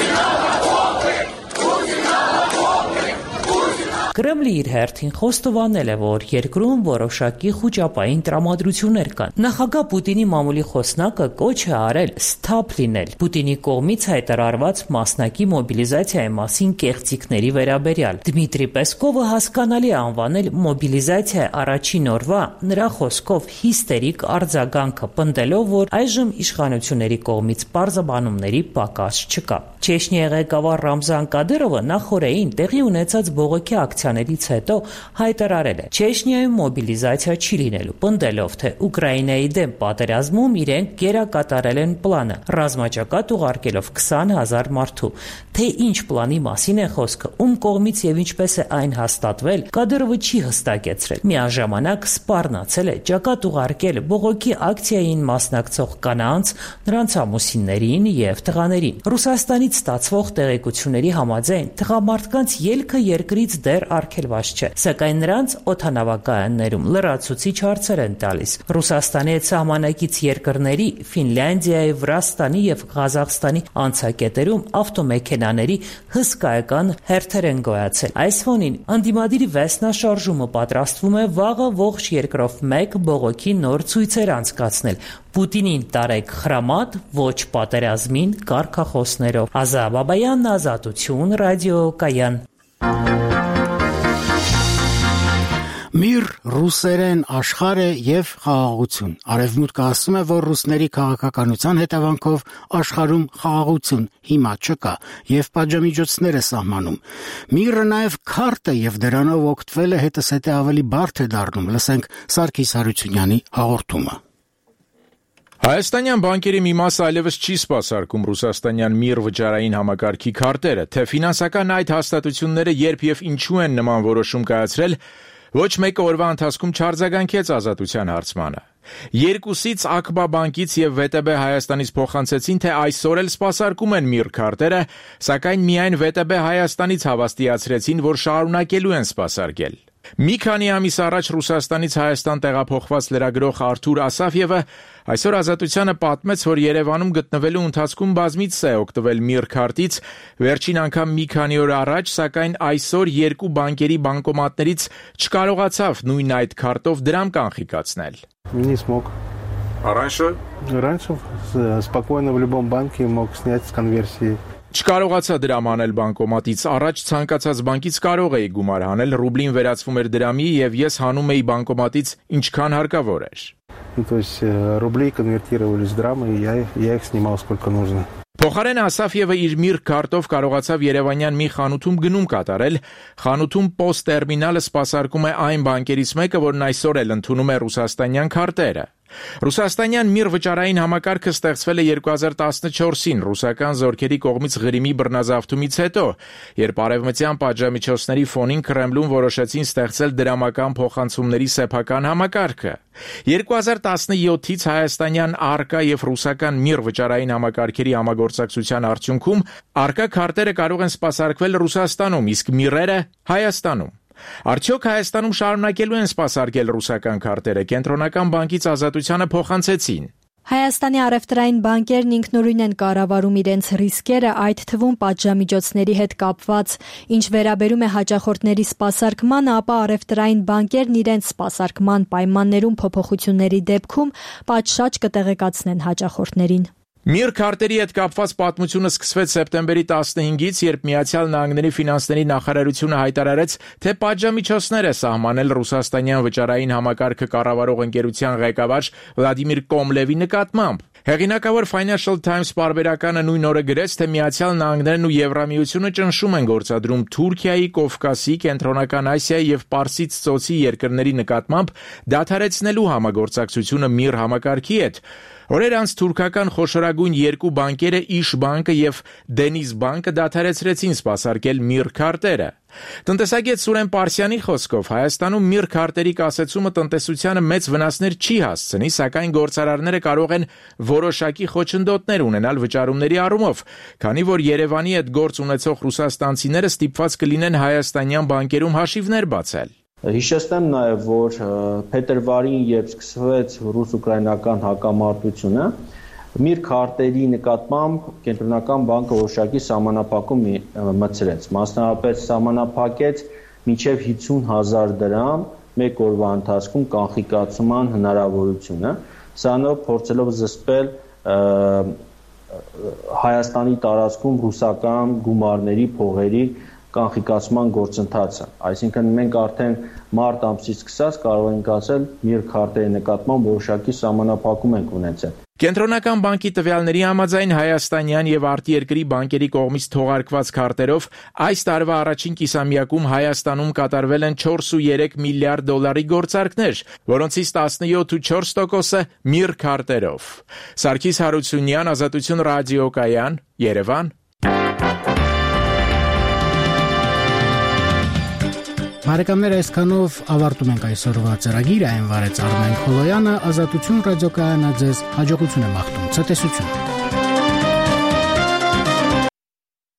Կրեմլի իր հերթին խոստովանել է, որ երկրում որոշակի խոճապային տրամադրություններ կան։ Նախագահ Պուտինի մամուլի խոսնակը կոչ է արել սթափ լինել Պուտինի կողմից հայտարարված մասնակի մոբիլիզացիայի մասին կեղծիքների վերաբերյալ։ Դմիտրի Պեսկովը հասկանալի է անվանել մոբիլիզացիայի առաջին օրվա նրա խոսքով հիստերիկ արձագանքը, պնդելով, որ այժմ իշխանությունների կողմից պարզաբանումների պակաս չկա։ Չեչնիայի ղեկավար Ռամզան Կադիրովը նախորդին տեղի ունեցած բողոքի ակցիաներից հետո հայտարարել է. Չեչնիայում մոբիլիզացիա չի լինելու, պնդելով, թե Ուկրաինայի դեմ պատերազմում իրենք գերակատարել են պլանը, ռազմաճակատ ուղարկելով 20,000 մարդու։ Թե ինչ պլանի մասին է խոսքը, ում կողմից եւ ինչպես է այն հաստատվել, Կադիրովը չի հստակեցրել։ Միաժամանակ սպառնացել է ճակատ ուղարկել բողոքի ակցիային մասնակցող կանանց, նրանց ամուսիններին եւ տղաներին։ Ռուսաստանից ստացվող տեղեկությունների համաձայն տղամարդկանց ելքը երկրից դեռ արգելված չէ, սակայն նրանց օդանավակայաններում լրացուցիչ հարցեր են տալիս։ Ռուսաստանի հետ սահմանակից երկրների Ֆինլանդիայի, Վրաստանի եւ Ղազախստանի անցակետերում ավտոմեքենաների հսկայական հերթեր են գոյացել։ Այս ֆոնին անդիմադիրի վեսնաշարժումը պատրաստվում է վաղը ողջ երկրով մեկ բողոքի նոր ցույցեր անցկացնել։ Պուտինին տարեք խրամատ, ոչ պատերազմին կարգախոսներով։ Ազա Բաբայան, Ազատություն, ռադիոկայան։ Միր, ռուսերեն, աշխարհ եւ խաղաղություն։ Արևմուտքը ասում է, որ ռուսների քաղաքականության հետևանքով աշխարհում խաղաղություն հիմա չկա եւ պատժամիջոցներ է սահմանում։ Միրը նաեւ քարտ է եւ դրանով օգտվելը հետսետե ավելի բարդ է դառնում։ Լսենք Սարգիս Հարությունյանի հաղորդումը։ Հայաստանյան բանկերի մի մասը այլևս չի սպասարկում ռուսաստանյան միր վճարային համակարգի քարտերը, թե ֆինանսական այդ հաստատությունները երբ եւ ինչու են նման որոշում կայացրել, ոչ մեկը օրվա ընթացքում չարձագանքեց Ազատության հարցմանը։ Երկուսից ԱԿԲԱ բանկից եւ ՎՏԲ Հայաստանից փոխանցեցին, թե այսօր էլ սպասարկում են միր քարտերը, սակայն միայն ՎՏԲ Հայաստանից հավաստիացրեցին, որ շարունակելու են սպասարկել։ Մի քանի ամիս առաջ Ռուսաստանից Հայաստան տեղափոխված լրագրող Արթուր Ասաֆյևը այսօր Ազատությանը պատմեց, որ Երևանում գտնվելու ընթացքում բազմիցս է օգտվել միր քարտից, վերջին անգամ մի քանի օր առաջ, սակայն այսօր երկու բանկերի բանկոմատներից չկարողացավ նույն այդ քարտով դրամ կանխիկացնել։ Не смог. А раньше? Раньше спокойно в любом банке мог снять с конверсии. Չկարողացա դրամ անել բանկոմատից, առաջ ցանկացած բանկից կարող էի գումար հանել, ռուբլին վերածվում էր դրամի եւ ես հանում էի բանկոմատից ինչքան հարկավոր էր։ То есть рубли конвертировались в драмы, и я их снимал сколько нужно. Փոխարեն Ասաֆյևը իր միր քարտով կարողացավ Երևանյան մի խանութում գնում կատարել։ Խանութում POS տերմինալը սպասարկում է այն բանկերից մեկը, որն այսօր էլ ընդունում է ռուսաստանյան քարտերը։ Ռուսաստանյան միր վճարային համակարգը ստեղծվել է 2014-ին ռուսական զորքերի կողմից Ղրիմի բռնազավթումից հետո, երբ արևմտյան պատժամիջոցների ֆոնին Կրեմլում որոշեցին ստեղծել դրամական փոխանցումների սեփական համակարգը։ 2017-ից հայաստանյան ԱՌԿԱ եւ ռուսական միր վճարային համակարգերի համագործակցության արդյունքում ԱՌԿԱ քարտերը կարող են սպասարկվել Ռուսաստանում, իսկ միրերը Հայաստանում։ Արդյոք Հայաստանում շարունակելու են սպասարկել ռուսական քարտերը, Կենտրոնական բանկից Ազատությանը փոխանցեցին։ Հայաստանի առևտրային բանկերն ինքնուրույն են կառավարում իրենց ռիսկերը, այդ թվում պատժամիջոցների հետ կապված։ Ինչ վերաբերում է հաճախորդների սպասարկմանը, ապա առևտրային բանկերն իրենց սպասարկման պայմաններում փոփոխությունների դեպքում պատշաճ կտեղեկացնեն հաճախորդներին։ Միր քարտերի հետ կապված պատմությունը սկսվեց սեպտեմբերի 15-ից, երբ Միացյալ Նահանգների ֆինանսների նախարարությունը հայտարարեց, թե պատժամիջոցներ է սահմանել ռուսաստանյան վճարային համակարգը կառավարող ընկերության ղեկավար Վլադիմիր Կոմլևի նկատմամբ։ Հեղինակավոր Financial Times պարբերականը նույն օրը գրեց, թե Միացյալ Նահանգներն ու Եվրամիությունը ճնշում են գործադրում Թուրքիայի, Կովկասի, Կենտրոնական Ասիայի եւ Պարսից ծոցի երկրների նկատմամբ դադարեցնելու համագործակցությունը Միր համակարգի հետ։ Օրեր անց թուրքական խոշորագույն երկու բանկերը Իշ բանկը եւ Դենիզ բանկը դադարեցրեցին սպասարկել Միր քարտերը։ Տնտեսագետ Սուրեն Պարսյանի խոսքով Հայաստանում Միր քարտերի կասեցումը տնտեսությանը մեծ վնասներ չի հասցնի, սակայն գործարարները կարող են որոշակի խոչընդոտներ ունենալ վճարումների առումով, քանի որ Երևանի հետ գործ ունեցող ռուսաստանցիները ստիպված կլինեն հայաստանյան բանկերում հաշիվներ բացել։ Հիշեցնեմ նաև, որ փետրվարին, երբ սկսվեց ռուս-ուկրաինական հակամարտությունը, Միր քարտերի նկատմամբ Կենտրոնական բանկը որոշակի սահմանափակում մտցրեց, մասնավորապես սահմանափակեց մինչև 50,000 դրամ մեկ օրվա ընթացքում կանխիկացման հնարավորությունը, սրանով փորձելով զսպել Հայաստանի տարածքում ռուսական գումարների փողերի կանխիկացման գործընթացը, այսինքն մենք արդեն մարտ ամսից սկսած կարող ենք ասել Միր քարտերի նկատմամբ որոշակի սահմանափակում ենք ունեցել։ Կենտրոնական բանկի տվյալների համաձայն հայաստանյան եւ արտերկրի բանկերի կողմից թողարկված քարտերով այս տարվա առաջին կիսամյակում Հայաստանում կատարվել են 4.3 միլիարդ դոլարի գործարքներ, որոնցից 17.4%-ը Միր քարտերով։ Սարգիս Հարությունյան, Ազատություն ռադիոկայան, Երևան։ Բարեկամներ, այսքանով ավարտում ենք այսօրվա ծրագիրը, այն վարեց Արմեն Խոլոյանը, Ազատություն ռադիոկայանը ձեզ հաջողություն է մաղթում, ցտեսություն։